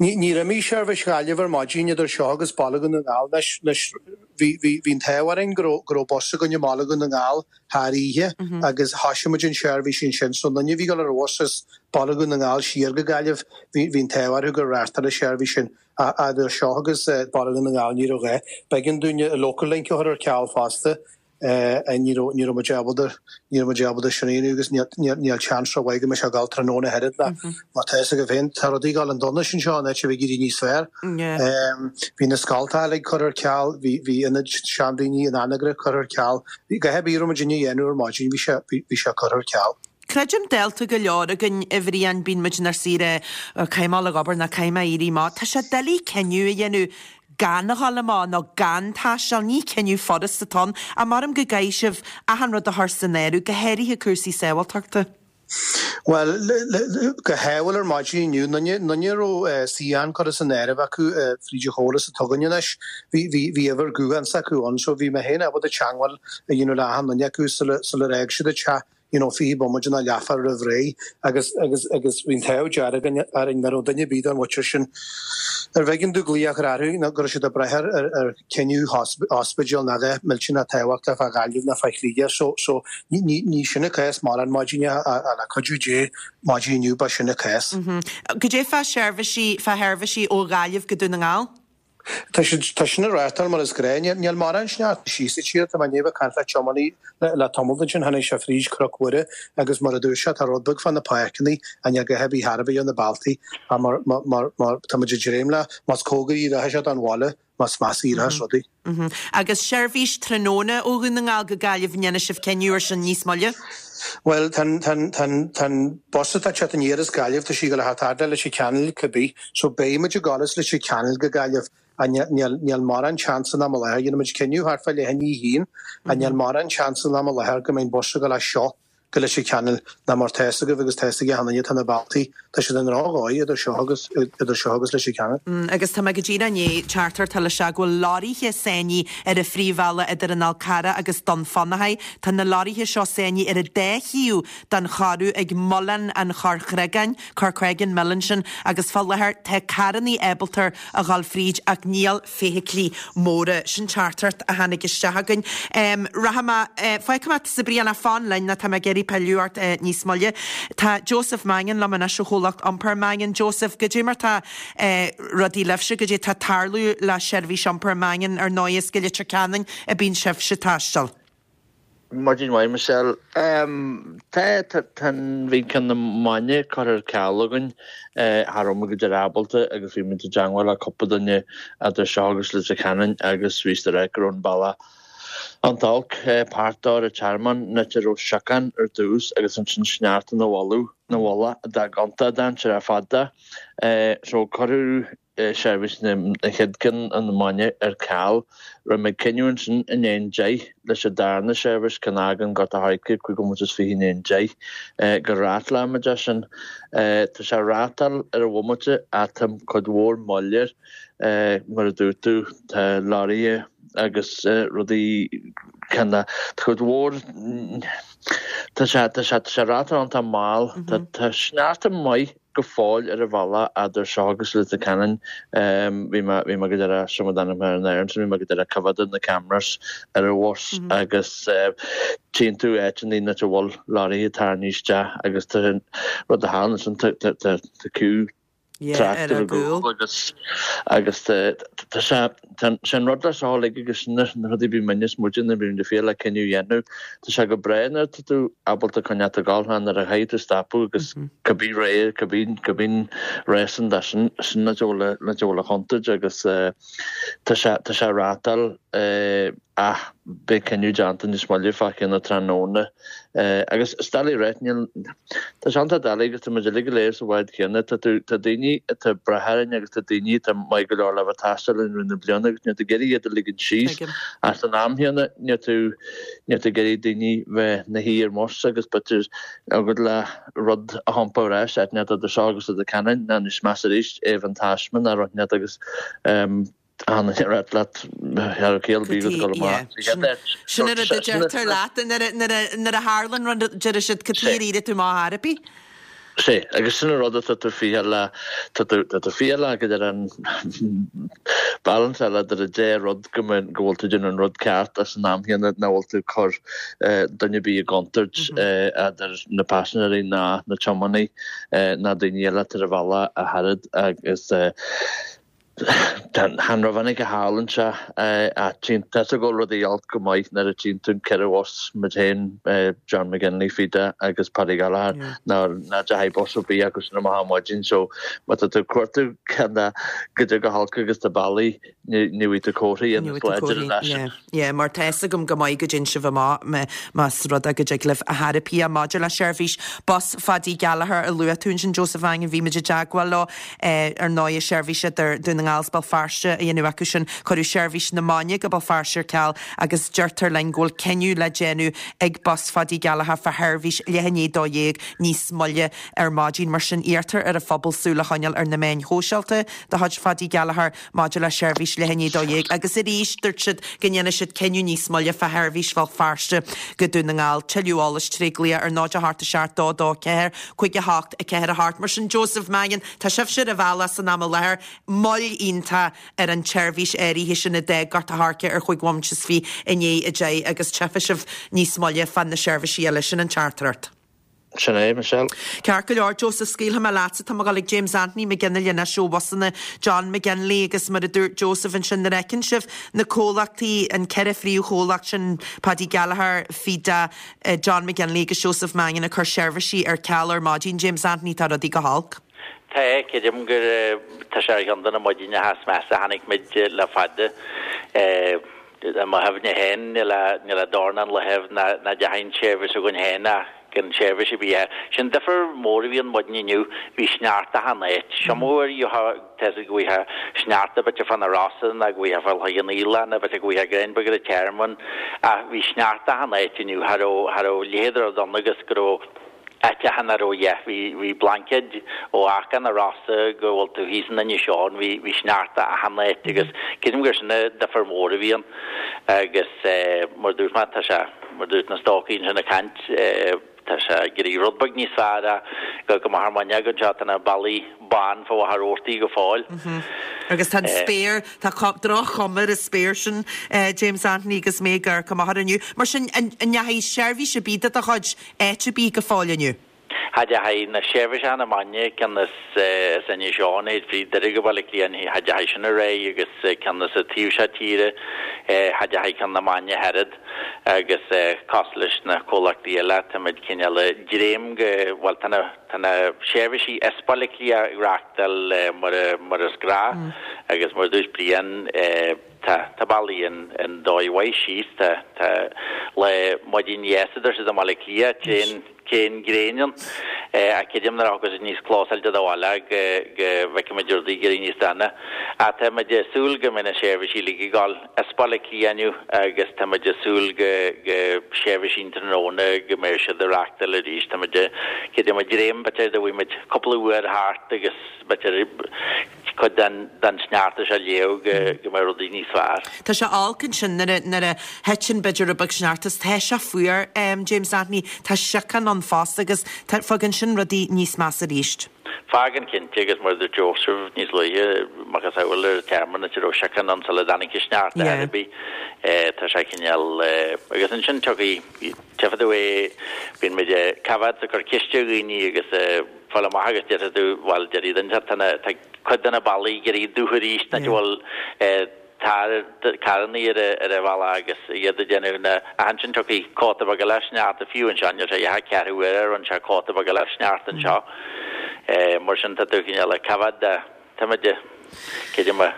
S5: Níor imigh seirbhís Ghaillimh ar maidin idir seo agus Baile Dhún na nGall. Anois, bhí an t-ádh orainn go raibh bus againn i mBaile Dhún na nGall thar oíche agus thoisigh muid an tseirbhís ansin. So an duine a bhí ag dul ar bhus as Baile Dhún na nGall siar go Gaillimh, bhí an t-ádh orthu gur reáchtáladh an tseirbhís sin. Ach idir seo agus Baile Dhún na nGall ní raibh a dhath. B'éigean dúinn Local Link a chur ar ceal fosta. Ní raibh, ní raibh muid ábalta, ní raibh muid ábalta sin a dhéanamh agus níl, níl, níl seans rómhaith go mbeidh sé ag dul tráthnóna ach oiread ná mar tá fhios agaibh féin, tá rudaí ag dul chun donais anseo in áit a bheith ag éirí níos fearr. Bhí na scoltacha uilig curtha ar ceal, bhí, bhí ionaid seandaoine in Anagaire curtha ar ceal, bhí a dhath ar bith a raibh muid a dhéanamh ar maidin, bhí sé, bhí, bhí sé curtha ar ceal.
S1: Creidim dálta go leor againn, a Bhriain, bíonn muid inár suí a rá, caithfidh mé dul ag obair nó caithfidh mé éirí amach. Tá sé doiligh cinneadh a dhéanamh gan a dhul amach nó gan taisteal, ní cinneadh furast atá ann, ach maram go gcaithfidh sibh achan rud a chur san áireamh, go háirithe cúrsaí sábháilteachta.
S5: Bhuel, go hádhúil ar maidin inniu, aon duine a raibh suíochán curtha san áireamh acu fríd an chóras atá againn anois, bhí uimhir gutháin s'acu ann, so bhí mé féin ábalta teagmháil a dhéanamh le achan duine acu sular fhág siad an teach. you know, 20 bomaite nó leathuair roimh ré agus, agus, agus bhí an t-ádh dearg orainn nach raibh duine ar bith den mhuintir sin arbh éigean dúinn glaoch a chur orthu nó go raibh siad ag brath ar, ar, ar chinneadh ospidéil nó a dhath millteanach tábhachtach fá Ghaillimh nó fá Shligeach. So, so, ní, ní, ní sin an cás mórán maidin ach, ach le cuidiú Dé maidin inniu ba sin an cás.
S1: Goidé fá sheirbhísí, fá sheirbhísí ó Ghaillimh go Dún na nGall?
S5: Tá siad, tá sin ag reáchtáil mar is gnáth. Níl, níl mórán sneachta síos sa tír. Tá mé i ndiaidh a bheith ag caint le tiománaí le, le tamall ansin. Tháinig sé fríd Cnoc Mhuire agus mar a dúirt sé, tá rud beag fá na páirceanna ach níl a dhath ar bith thar a bheith ar na bealtaí. Ach mar, mar, mar, mar, tá muid ag dréim le, más cóngaraí a rachaidh sé don bhaile, más measa a éireochas rudaí.
S1: Agus seirbhís tráthnóna ó Dhún na nGall go Gaillimh, an ndéanfaidh sibh cinneadh ar sin níos moille?
S5: Bhuel, tá an, tá an, tá an, tá an bus atá ag teacht aniar as Gaillimh, tá sí ag dul a theacht fhad le Leitir Ceanainn cibé, so beidh muid ag dul as Leitir Ceanainn go Gaillimh ach níl, níl, níl mórán seans san am i láthair, dhéanfaidh muid cinneadh thart fá leath i ndiaidh a haon, ach níl mórán seans san am i láthair go mbeidh an bus ag dul as seo go Leitir Ceanainn ná mar tá fhios agaibh agus tá fhios ag achan duine tá na bealtaí, tá siad i ndrochdhóigh idir seo agus, idir seo agus Leitir
S1: Ceanainn. Agus tá mé go díreach i ndiaidh teachtaireacht a fháil isteach go bhfuil leoraithe sáinnithe ar an phríomhbhealach idir an Fhál Carrach agus Dún Fionnachaidh. Tá na leoraithe seo sáinnithe ar an dá thaobh den choradh ag Muileann an Chorrchreagáin, Corcreggan Mill ansin, agus fá láthair tá carrannaí ábalta a dhul fríd ach níl feithiclí móra. Sin teachtaireacht a tháinig isteach againn. Rachaidh mé, fágfaidh mé tusa Brian ach fan linn nó tá mé ag iarraidh pilleadh ort níos moille. Tá Joseph Mangan liom anois ó chomhlacht iompair Mangan. Joseph, goidé mar tá rudaí libhse, goidé tá ag tarlú le seirbhís iompair Mangan, ar ndóigh is go Leitir Ceanainn a bíonn sibhse ag taisteal.
S6: Maidin mhaith Michelle. Tá, tá, tá, bhí ceann na maidine curtha ar ceal againn, cha raibh muid go dtí ábalta agus bhí muid i dteangmháil le cúpla duine idir seo agus Leitir Ceanainn agus bhí siad ag rá go raibh an bealach an-olc, páirt dó ar an Tearmann, an áit a raibh siocán ar dtús agus ansin sneachta ina mhullach, ina mhullach a d'fhág iontach dainséarach ar fad de. So cuireadh. seirbhís an chéad ceann na Mainge ar ceal. Rinne muid cinneadh ansin i ndiaidh an deich leis an darna seirbhís, ceann a fhágann Gort a' Choirce 5 bhomaite is 20 i ndiaidh an deich, go reáchtáilfidh muid é sin. Tá sé ag reáchtáil ar an bhomaite ach tá cuid mhór moill air. Mar a dúirt tú, tá leoraithe agus rudaí ceann tá cuid mhór, tá sé, tá sé, tá sé ag reáchtáil iontach mall. Tá sneachta maith go fóill ar an bhealach eadar seo agus Leitir Ceanainn. Bhí mé, bhí mé go deireadh, seo mo d'ainm ar an aer ansin, bhí mé go deireadh coimhéad na cameras ar an bhus agus tchíonn tú áiteanna áit a bhfuil leoraithe tarraingthe isteach agus tá an rud a tharla ansin, tá, tá, tá, tá queue trácht ar an gcúl agus, agus tá, tá sé, Tá sé an rud le seo uilig agus sin na rudaí bíonn muidne is muide nuair bíonn muid ag fiail le cinneadh a dhéanamh. Tá sé go breá nuair atá tú ábalta coinneáil ag gabháil nuair a chaithfidh tú stopadh agus cibé ré cibé cibé réasún de sin sin na deola na deola chontúirt agus tá sé tá sé ag reáchtáil ach beidh cinneadh déanta níos moille fá cheann an tráthnóna agus is doiligh a ráit níl tá sé iontach doiligh agus tá muid uilig go léir sa bhád chéanna tá tú tá daoine atá ag brath orainn agus tá daoine atá maith go leor le bheith ag taisteal linn i rith na bliana agus níl tú ag iarraidh iad a ligean síos ach san am chéanna níl tú níl tú ag iarraidh daoine bheith 'na shuí ar mbus agus b'fhéidir agat le rud a thiompar ar ais áit inteacht idir seo agus Leitir Ceanainn ná níos measa arís é bheith an taisme ná rud inteacht agus An rud leat thar ciall bíodh ag dul amach.
S1: Sin an rud a deirtear leat nuair a tharlann rud deir siad cad chuige ar éirigh tú amach ar bith.
S6: Sea, agus sin an rud atá tú ficheall le, tá tú tá tú ficheall le go deir an balance eile idir an dá rud go mbeidh go bhfuil tú déanamh an rud ceart ach san am chéanna nach bhfuil tú ag cur duine ar bith i gcontúirt idir na paisinéirí ná na tiománaithe ná daoine eile atá ar an bhealach ach oiread agus Chan rómhinic a tharlann sé ach tchíonn tusa go bhfuil rudaí olc go maith nuair a tchíonn tú an 4 bhus, muid féin, John McGinley, Fida agus Paddy Gallagher, ná ná deachaigh bus ar bith acu sin amach ar maidin so má tá tú ag cuartú cén goidé go holc agus tá bealaí ní bhfaighidh tú comharthaí ionas láidir an áit.
S1: Yeah, mar tá fhios agam go maith go dtéann sibh amach más rud é go dtig libh a thairpí maidir le seirbhís bus Phaddy Gallagher a luaigh tú ansin Joseph Mangan, bhí muid i dteagmháil leo ar ndóigh seirbhís idir Dún na nGall is Béal Feirste a dhéanamh acu sin. Cuireadh seirbhís na Mainge go Béal Feirste ar ceal agus deirtear linn go bhfuil cinneadh le déanamh ag Bus Phaddy Gallagher fá sheirbhís leath i ndiaidh 12 níos moille ar maidin. Mar sin iarrtar ar an phobal súil a choinneáil ar na meáin shóisialta de chuid Phaddy Gallagher. Maidir le seirbhís leath i ndiaidh 12 agus arís dúirt siad go ndéanfaidh siad cinneadh níos moille fá sheirbhís Bhéal Feirste go Dún na nGall. Tuilleadh eolais tré glaoch ar 0 8 7 2 2 4 5 8 4 8. Mar sin Joseph Mangan, tá sibhse ar an bhealach san am i láthair, moill iontach ar an tseirbhís áirithe sin a d'fhág Gort a' Choirce ar chúig bhomaite is fiche i ndiaidh 10 agus tchífidh sibh níos moille fá na seirbhísí eile. Sin an teachtaireacht.
S6: Sin é, Michelle.
S1: Ceart go leor, Joseph, scaoilfidh mé leatsa. Tá mé ag dul ag James Anthony McGinley anois ó bhusanna John McGinley agus mar a dúirt Joseph ansin, nuair a fheiceann sibh na comhlachtaí, an ceithre phríomhchomhlacht sin, Paddy Gallagher, Fida, John McGinley agus Joseph Mangan ag cur seirbhísí ar ceal ar maidin, James Anthony, tá rudaí go holc.
S7: Tá, creidim gur tá sé ar cheann de na maidineacha is measa a chonaic muid le fada. I mo chuimhne féin, níl a dornán laethaibh ná deachaigh an tseirbhís againn féin ach gan seirbhís ar bith. Sin difear mór a bhí ann maidin inniu, bhí sneachta achan áit. Seo mór gheofá, tá fhios agat go bhfaighfeá sneachta b'fhéidir fá na Rosa ná go bhfaighfeá fá Loch an Fhaoileach ná b'fhéidir go bhfaighfeá greim beag ar an Tearmann ach bhí sneachta achan áit inniu. Cha raibh, cha raibh leithéid de rud ann agus go raibh. áiteacha nach raibh a dhath. Bhí blaincéid ó Achadh na Rosa go bhfuil tú thíos in Inis Eoghain, bhí bhí sneachta achan áit agus creidim gur sin an difear mór a bhí ann agus mar dúirt mé tá sé, mar dúirt na stócaigh ansin ag caint, tá sé ag éirí rud beag níos fearr ach go go maith ar maidin againn seo tá na ballaí bán fá Mhachaire Rabhartaigh go fóill.
S1: Agus tá an spéir, tá droch-chuma ar an spéir sin, James Anthony agus mé ag amharc amach air inniu. Mar sin, an ndeachaigh seirbhís ar bith de do chuid áit ar bith go fóill inniu?
S7: Cha dteachaigh na seirbhíseacha na Mainge, ceann as as Inis Eoghain, théid fríd Doire go Baile Átha Cliath, cha dteachaigh sin ar aghaidh agus ceann as an taobh seo tíre, cha dteachaigh ceann na Mainge ach oiread agus cosúil leis na comhlachtaí eile, táimid cineál ag dréim go, bhuel tá na tá na seirbhísí as Baile Átha Cliath ag reachtáil mar a mar is gnáth agus mar a dúirt Brian, Tá, tá bealaí an dóigh mhaith síos, tá, tá le maidin dheas a deir siad i mBaile Átha Cliath, tréan, tréan gréin ann. Ach creidim nuair a thiocfas níos clósáilte do bhaile go, go bhfeicfimid. muid rudaí ag éirí níos dona. Ach tá muid ag súil go mbeidh na seirbhísí uilig ag gabháil as Baile Átha Cliath inniu agus tá muid ag súil go go seirbhísí an tráthnóna go mbeidh siad ag reachtáil arís. Tá muid creidim ag dréim b'fhéidir go bhfuil muid cúpla uair thart agus b'fhéidir cuid den den sneachta seo a léamh go go mbeidh rudaí níos fearr.
S1: Tá sé olc ansin nuair a nuair a thiteann b'fhéidir rud beag sneachta is tá sé fuar James Anthony, tá síocán ann fosta agus tá fágann sin rudaí níos measa arís.
S7: Fágann cinnte agus mar a dúirt Joseph níos luaithe, macasamhail ar an tearmann áit a raibh síocán ann sula dtáinig an sneachta ar bith, tá sé cineál agus ansin tiocfaidh, tchífidh tú é, bíonn muid ag coimhéad is ag cur ceiste ar dhaoine agus fáil amach agus déarfaidh tú, bhuel déarfaidh duine tá na, tá cuid de na bealaí ag éirí dubh arís, nach bhfuil carrannaí ar an bhealach agus iad ag déanamh na, ach ansin tiocfaidh cóta beag eile sneachta fiú anseo, níl sé ach ceathrú uaire a rinne sé cóta beag eile sneachta anseo. Mar sin tá tú cineál ag coimhéad de, tá muid, creidim a.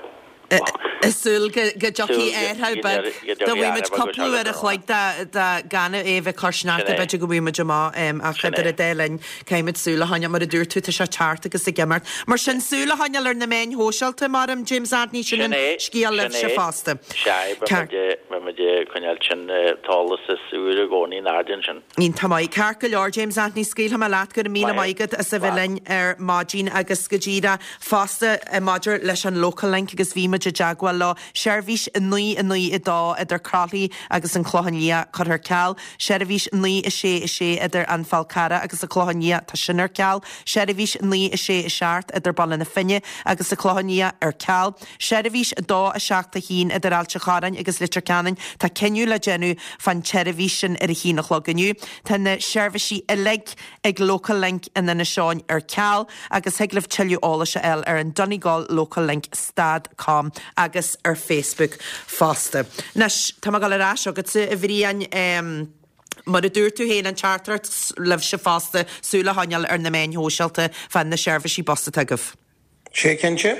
S1: Ag súil go dtiocfaidh athrú beag, dá bhfaighidh muid cúpla uair a chloig de gan é a bheith ag cur sneachta b'fhéidir go bhfaighidh muid amach ach idir an dá linn caithfimid súil a choinneáil, mar a dúirt tú, tá sé thart agus ag imeacht. Mar sin, súil a choinneáil ar na meáin shóisialta, maram, James Anthony, sin an scéal libhse fosta.
S7: Sea, beidh muid ag coinneáil sin an t-eolas is úire i gcónaí in airde ansin.
S1: Iontach maith. Ceart go leor, James Anthony, scaoilfidh mé leat, go raibh míle maith agat as a bheith linn ar maidin agus go díreach fosta maidir leis an Local Link agus bhí muid i dteagmháil leo, seirbhís 9 9 2 idir Croithlí agus an Clochán Liath curtha ar ceal, Seirbhís 9 6 6 idir An Fál Carrach agus an Clochán Liath, tá sin ar ceal. Seirbhís 9 6 7 idir Baile na Finne agus an Clochán Liath ar ceal. Seirbhís 2 7 1 idir Ailt an Chorráin agus Leitir Ceanainn, tá cinneadh le déanamh fán tseirbhís sin ar a haon a chlog inniu. Tá na seirbhísí uilig ag Local Link in Inis Eoghain ar ceal agus thig libh tuilleadh eolais a fháil ar an Donegal Local Link stad com agus ar Facebook fosta. Anois, tá mé ag dul ar ais chugatsa, a Bhriain. Mar a dúirt tú féin, an teachtaireacht libhse fosta, súil a choinneáil ar na meáin shóisialta fá na seirbhísí bus atá agaibh.
S5: Sea, cinnte.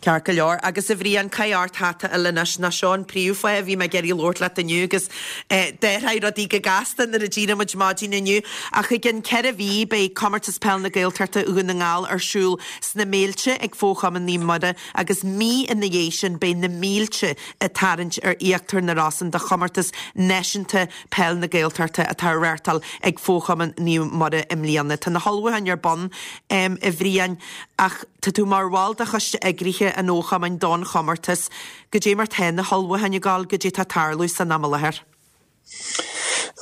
S1: Ceart go leor. Agus a Bhriain, caith ort hata eile anois, nó seo an príomhfháth a bhí mé ag iarraidh labhairt leat inniu agus d'athraigh rudaí go gasta nuair a d'éirigh muid maidin inniu. Ach i gcionn 4 mhí beidh Comórtas Peil na Gaeltachta Dhún na nGall ar siúl sna Méilte ag Fo-Chumann Naomh Muire agus mí ina dhiaidh sin beidh na mílte ag tarraingt ar Íochtar na Rosann do chomórtas náisiúnta peil na Gaeltachta atá á reáchtáil ag Fo-Chumann Naomh Muire i mbliana. Tá na hullmhúcháin ar bun, a Bhriain, ach tá tú mar bhall de choiste eagraithe an Fho-Chumainn don chomórtas. Goidé mar tá na hullmhúcháin ag gabháil, goidé tá ag tarlú san am i láthair?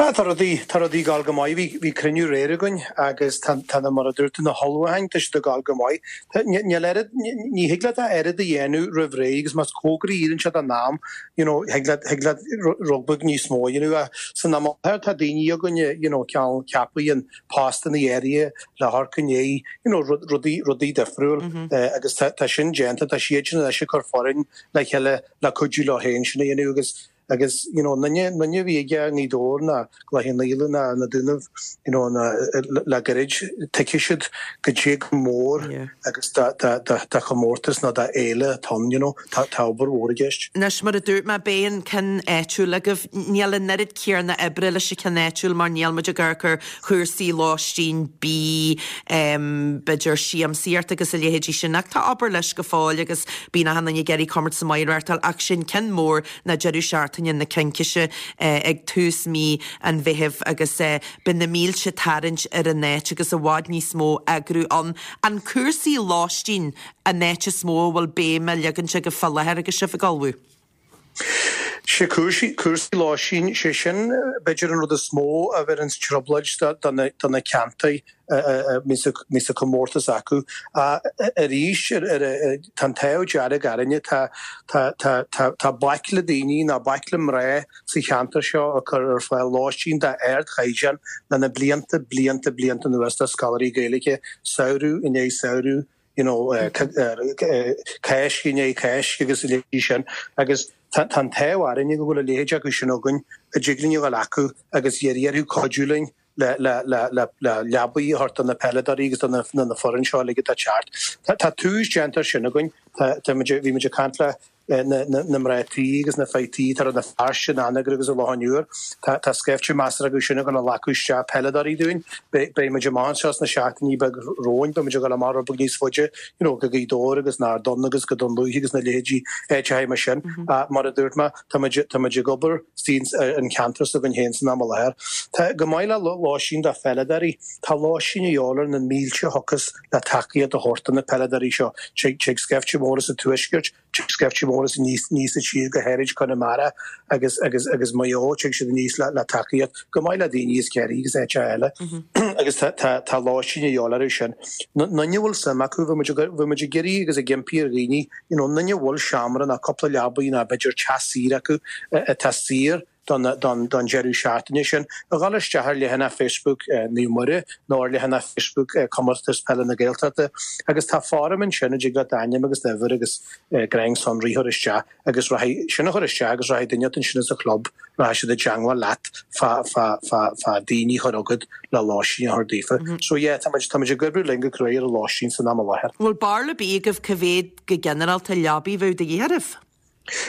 S5: Ah, tá rudaí, tá rudaí ag gabháil go maith. Bhí, bhí cruinniú aréir againn agus tá, tá na, mar a dúirt tú, na hullmhúcháin, tá siad ag gabháil go maith. Tá, ní, níl oiread, ní, ní thig leat a oiread a dhéanamh roimh ré agus más cóngaraí a éiríonn sé don am, you know, thig leat, thig leat rud beag níos mó a dhéanamh. Ach san am i láthair tá daoine againne, you know, cineál ceaptha in postanna áirithe le hamharc i ndiaidh, you know, rud, rudaí, rudaí difriúil agus tá, tá sin déanta, tá siad sin anois ag cur foireann le chéile le cuidiú leo féin sin a dhéanamh agus Agus, you know, an duine, an duine a bhí aige i nGaoth Dobhair ná Cloich Cheann Fhaola ná na Dúnaibh, you know, ná le gairid, tuigfidh siad goidé chomh mór agus do, do, do, do chomórtas nó do fhéile atá ann, you know, tá, tá obair mhór i gceist.
S1: Anois, mar a dúirt mé, beidh an ceann áitiúil agaibh. Níl an oiread céarna oibre leis an cheann áitiúil mar níl muid ag amharc ar chúrsaí lóistín, bídh, b'fhéidir siamsaíocht agus a leithéidí sin ach tá obair leis go fóill agus bíonn achan duine ag iarraidh comórtas maith a reáchtáil ach sin ceann mór ná deireadh seachtaine na Cincise ag tús mí an Mheithimh agus beidh na mílte ag tarraingt ar an áit agus i bhfad níos mó eagrú ann. An cúrsaí lóistín an áit is mó a bhfuil béim á leagaint agaibh fá láthair agus sibh ag ullmhú?
S5: Sé cúrsaí, cúrsaí lóistín, sé sin b'fhéidir an rud is mó a bheireanns trioblóid do na, do na ceantair a mbíonns an comórtas acu. Arís, tá an t-ádh dearg orainne, tá, tá, tá, tá, tá baicle daoine nó baicle mná sa cheantar seo ag cur ar fáil lóistín d'ardchaighdeán le na blianta, blianta, blianta anuas do scoláirí Gaeilge, samhradh i ndiaidh samhradh, you know, Cáisc i ndiaidh Cáisc agus a leithéidí sin. Agus tá an t-ádh orainne go bhfuil a leithéid acu sin againn, a dtig linn a dhul acu agus iarraidh orthu cuidiú linn le leabaí a thabhairt do na peileadóirí agus do na foireann seo uilig atá ag teacht. Tá tús déanta ar sin againn. Tá, tá muid, bhí muid ag caint le. Na mná tí agus na fir tí atá i Rann na Feirste, in Anagaire agus i Loch an Iúir. Tá scaifte measartha acu sin ag dul a ghlacadh isteach peileadóirí dúinn. Beidh muid amach anseo sna seachtainí beaga romhainn, beidh muid ag dul amach rud beag níos faide, you know, go Gaoth Dobhair agus an Ard Donn agus go Dún Lúiche agus na leithéidí áiteacha mar sin. Mar a dúirt mé, tá muid, tá muid ag obair istigh an ceantar s'againn féin san am i láthair. Tá, chomh maith le lóistín do pheileadóirí, tá lóistín a dhíobháil ar na mílte a thiocfas le tacaíocht a thabhairt do na peileadóirí seo. Tig, tig scaifte mór as an tuaisceart, tig scaifte mór as aníos, aníos an tír, go háirid Conamara agus, agus, agus Maigh Eo, tig siad aníos le, le tacaíocht, chomh maith le daoine as Ciarraí agus áiteacha eile. Agus tá, tá, tá lóistín a dhíobháil orthu sin. Aon duine a bhfuil suim acu, bhí muid ag, bhí muid ag iarraidh agus ag impí ar dhaoine, you know, aon duine a bhfuil seomra ná cúpla leabaidh ná b'fhéidir teach saoire acu atá saor, don deireadh seachtaine sin, a dhul isteach ar leathanach Facebook Naomh Muire nó ar leathanach Facebook Comórtas Peile na Gaeltachta agus tá foirm ansin a dtig leat d'ainm agus d'uimhir agus greim sonraí a chur isteach agus rachaidh sin a chur isteach agus rachaidh duine ansin sa chlub, rachaidh siad i dteangmháil leat fá fá fá fá daoine a chur chugat le lóistín a chur daofa. So yeah, tá muid tá muid ag oibriú linn go cruaidh ar an lóistín san am i láthair.
S1: Bhfuil barúil ar bith agaibh cá mhéad go ginearálta leabaí a bheadh de dhíth oraibh?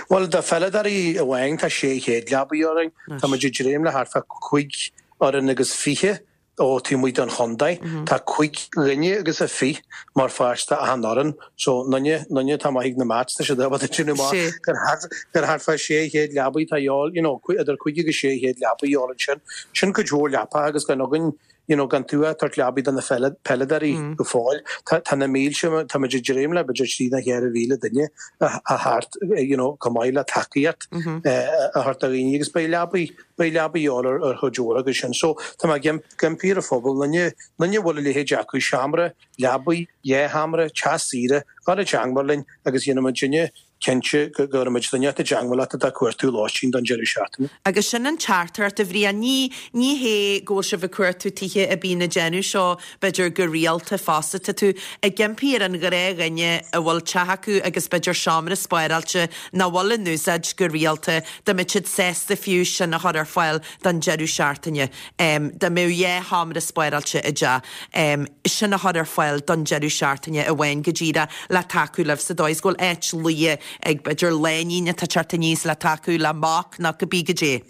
S5: Bhuel, do pheileadóirí amháin tá 600 leabaidh orainn. Tá muid ag dréim le thart fá chúig fhoireann agus fiche ó taobh amuigh den chontae. Tá cúig dhuine agus a fiche mar pháirt d'achan fhoireann. So, aon duine, aon duine atá maith ag na maths, tá siad ábalta déanamh amach gur thart, gur thart fá 600 leabaidh atá a dhíobháil, you know, idir cúig agus 600 leabaidh a dhíobháil ansin. Sin cuid mhór leapacha agus gan againn you know, gan tú ag tabhairt leabaidh do na peileadóirí go fóill. Tá na mílte, tá muid ag dréim le b'fhéidir trí nó 4,000 duine a theacht, you know, chomh maith le tacaíocht a thabhairt do dhaoine agus beidh leabaidh, beidh leabaidh a dhíobháil ar ar chuid mhór acu sin. So tá mé ag impí ar an phobal, aon duine, aon duine a bhfuil a leithéid acu, seomra, leabaidh, dhá sheomra, teach saoire, gabh i dteangmháil linn agus dhéanfaidh muidinne cinnte go gcuirfidh muid duine i dteangmháil leat atá ag cuartú lóistín don deireadh seachtaine.
S1: Agus sin an teachtaireacht, a Bhriain. Ní, ní hé go bhfuil sibh ag cuartú tithe a bíonn ag déanamh seo, b'fhéidir, go rialta fosta. Tá tú ag impí ar an ghnáthdhuine a bhfuil teach acu agus b'fhéidir seomra spáráilte nach bhfuil in úsáid go rialta, dá mbeadh siad sásta fiú sin a chur ar fáil don deireadh seachtaine. Dá mbeadh dhá sheomra spáráilte i dteach, sin a chur ar fáil don deireadh seachtaine amháin go díreach le tacú libh sa dóigh is go bhfuil áit luí ag b'fhéidir lainín atá ag teacht aníos le tacú le mac nó cibé goidé.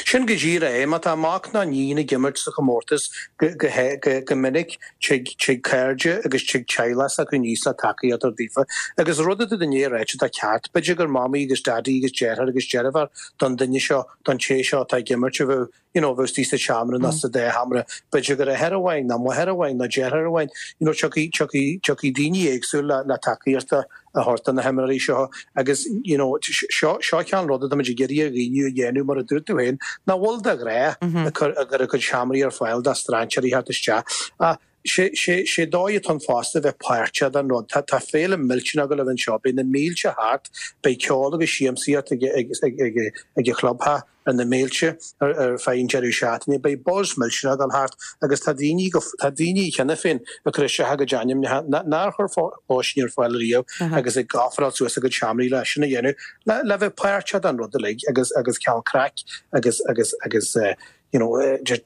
S5: Sin go díreach é. Má tá mac nó níon ag imirt sa chomórtas go minic tig cairde agus tig teaghlach s'acu aníos le tacaíocht a thabhairt daofa. Agus rud atá tú i ndiaidh a ráite atá ceart, b'fhéidir gur mamaí agus daidí agus deartháir agus deirfiúr don duine seo don té seo atá ag imirt a bheadh, you know, a bheadh istigh sa tseomra nó sa dá sheomra, b'fhéidir gur athair amháin nó máthair amháin nó deartháir amháin, you know, tiocfaidh, tiocfaidh, tiocfaidh daoine éagsúil le, le tacaíocht a thabhairt do na himreoirí seo agus, you know, seo, seo cineál rud atá muid ag iarraidh ar dhaoine a dhéanamh mar a dúirt tú féin, nach bhfuil de ghnáth ag cur, ag cur a gcuid seomraí ar fáil do strainséirí theacht isteach. Ach sé, sé, sé dóigh atá ann fosta a bheith páirteach den rud. Tá, tá féile millteanach ag gabháil a bheith anseo. Beidh na mílte thart, beidh ceol agus siamsaíocht ag, ag, ag, ag, ag an chlubtheach ar na mílte ar, ar feadh an deireadh seachtaine. Beidh buzz millteanach ag dul thart agus tá daoine go, tá daoine cheana féin ag cur isteach a gcuid ainmneacha nár chuir lóistín ar fáil riamh agus ag ofráil suas a gcuid seomraí le sin a dhéanamh, le, le bheith páirteach den rud uilig agus, agus cineál craic agus, agus, agus eh, you know, just,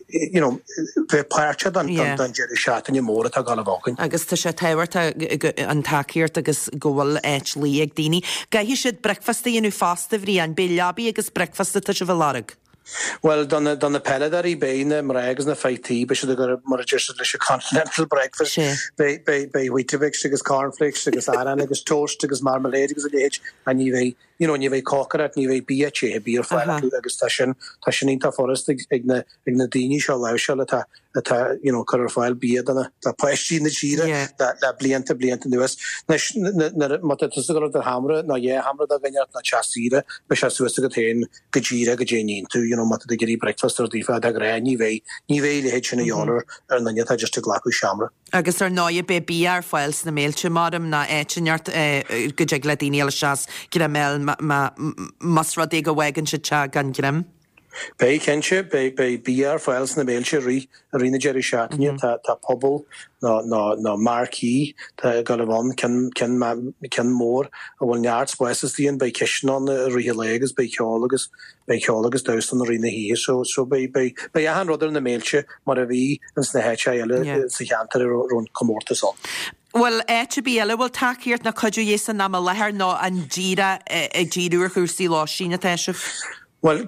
S5: you know, bheith páirteach den deireadh seachtaine mór atá ag gabháil a bheith againn.
S1: Agus tá sé tábhachtach an tacaíocht agus go bhfuil áit luí ag daoine. Caithfidh siad bricfeasta a dhéanamh fosta, a Bhriain. Beidh leabaí agus bricfeasta atá sibh a lorg.
S5: Bhuel, do na, do na peileadóirí, beidh na mná agus na fir tí, beidh siad ag cur, mar a deir siad, leis an continental breakfast. Beidh, beidh, beidh Weetabix agus cornflakes agus arán agus toast agus marmalade agus a leithéid, ach ní bheidh, you know, ní bheidh cócaireacht, ní bheidh bia te ar bith ar fáil acu agus tá sin, tá sin iontach furasta ag, ag na, ag na daoine seo a láimhseáil atá, atá, you know, cur ar fáil bia do na, do páistí na tíre le, le blianta, blianta anuas. Anois, nuair, má tá tusa ag dul do sheomra nó dhá sheomra do dhuine nó teach saoire, beidh sé suas agat féin go díreach goidé a níonn tú, you know, má tá tú ag iarraidh breakfast ar daofa, de ghnáth ní bheidh, ní bheidh a leithéid sin a dhíobháil ar, ar an duine atá just ag glacadh seomra.
S1: Agus ar ndóighe beidh bia ar fáil sna béiltí maram ná áit inteacht go dtig le daoine a dhul isteach is greim a fháil más rud é go bhfágann siad teach gan greim.
S5: Beidh, cinnte. Beidh, beidh bia ar fáil sna béiltí i rith, i rith na deireadh seachtaine. Tá, tá puball nó, nó, nó marquee tá ag gabháil a bheith ann, ceann, ceann, ceann mór a bhfuil neart spáis istigh ann. Beidh cistin ann i rith an lae agus beidh ceol agus, beidh ceol agus damhsa ann i rith na hoíche. So, so beidh, beidh, beidh achan rud ar na béiltí mar a bhí ins na háiteacha eile sa cheantar a raibh an comórtas ann.
S1: Bhfuil áit ar bith eile a bhfuil tacaíocht nó cuidiú de dhíth san am i láthair nó an díreach ag díriú ar chúrsaí lóistín atá sibh?
S5: Bhuel,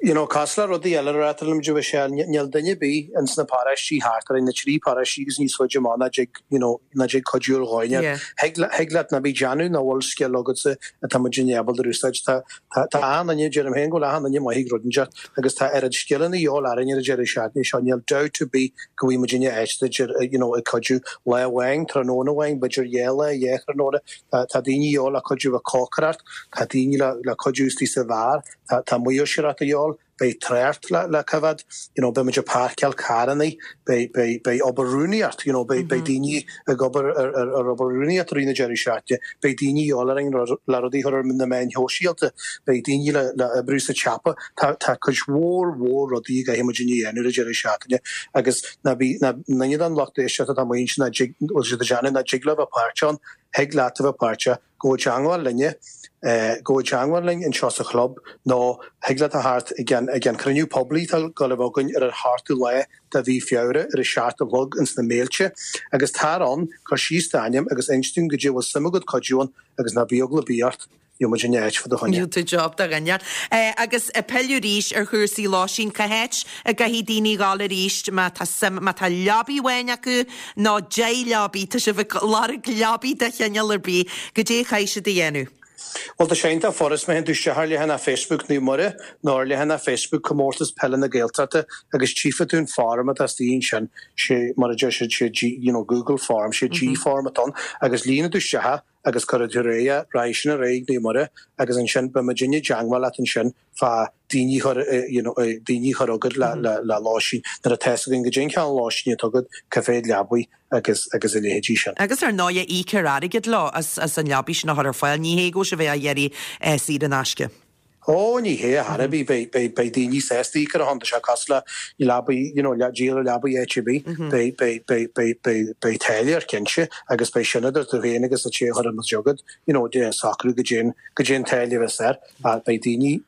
S5: you know, cosúil le rudaí eile a reáchtálann muid, Michelle, níl duine ar bith ins na paróistí thart orainn, na trí paróistí agus níos faide amach nach dtig, you know, nach dtig cuidiú ar dhóigh inteacht. Thig, thig leat ná bí ag déanamh nach bhfuil scil agatsa atá muidinne ábalta a úsáid. Tá, tá, tá achan duine, deirim féin go bhfuil achan duine maith ag rud inteacht agus tá oiread scileanna de dhíobháil orainn ar an deireadh seachtaine seo, níl dabht ar bith go bhfaighidh muidinne áit duit ar, you know, ag cuidiú lá amháin, tráthnóna amháin, b'fhéidir dhá lá, dhá thráthnóna. Tá, tá daoine de dhíobháil le cuidiú le cócaireacht, tá daoine le, le cuidiú istigh sa bheár, tá, tá maoirseoireacht de dhíobháil. beidh trácht le le coimhéad, you know, beidh muid ag páirceáil carrannaí, beidh, beidh, beidh obair rúnaíocht, you know, beidh, beidh daoine ag obair ar, ar, ar obair rúnaíocht i rith na deireadh seachtaine, beidh daoine de dhíobháil orainn le rudaí a chur ar na meáin shóisialta, beidh daoine le, le oibriú sa tsiopa, tá, tá cuid mhór, mhór rudaí a gcaithfidh muidinne a dhéanamh ar an deireadh seachtaine agus ná bí, ná, duine den lucht éisteachta atá amuigh ansin nach dtig, bhfuil siad ag déanamh, nach dtig leo bheith páirteach ann, thig leat a bheith páirteach. Gabh i dteangmháil linne, gabh i dteangmháil linn anseo sa chlub nó thig leat a theacht ag an ag an chruinniú poiblí atá ag dul a bheith againn ar an sheachtú lá de mhí Feabhra ar a seacht a chlog ins na Méilte agus tar ann, cuir síos d'ainm agus inis dúinn goidé a bhfuil suim agat cuidiú ann agus ná bí eagla ar bith ort, gheobhaidh muid an áit fá do choinne.
S1: Gheobhaidh tú job do dhuine. Agus ag pilleadh arís ar chúrsaí lóistín, cá háit a gcaithfidh daoine dhul arís má tá suim, má tá leabaidh amháin acu nó 10 leabaidh, tá sibh ag lorg leabaidh de chineál ar bith, goidé a chaithfidh siad a dhéanamh.
S5: Bhuel, tá sé iontach furast, má théann tú isteach ar leathanach Facebook Naomh Muire nó ar leathanach Facebook Comórtas Peile na Gaeltachta agus tchífidh tú an form atá istigh ansin, sé mar a deir siad, sé G, you know, Google Form, sé G Form atá ann agus líonfaidh tú isteach é agus cuirfidh tú ar aghaidh é, raghaidh sin ar aghaidh ag Naomh Muire agus ansin beidh muidinne i dteangmháil leat ansin fá daoine a chur, you know, daoine a chur chugat le, le, le lóistín, nuair atá fhios againn goidé an cineál lóistín atá agat, cá mhéad leabaidh agus, agus a leithéidí sin.
S1: Agus ar ndóighe íocfar airgead leo as, as an leabaidh sin a chur ar fáil, ní hé go bhfuil sibh á iarraidh saor in aisce.
S5: Ó, ní hé, ar chor ar bith, beidh, beidh, beidh daoine sásta íoc ar a shon, tá sé cosúil le leabaidh, you know, le díol leabaidh áit ar bith, beidh, beidh, beidh, beidh, beidh, beidh táille air cinnte agus beidh sin idir tú féin agus an té a chuireann muid chugat, you know, de socrú goidé an, goidé an táille a bheas air. Ach beidh daoine,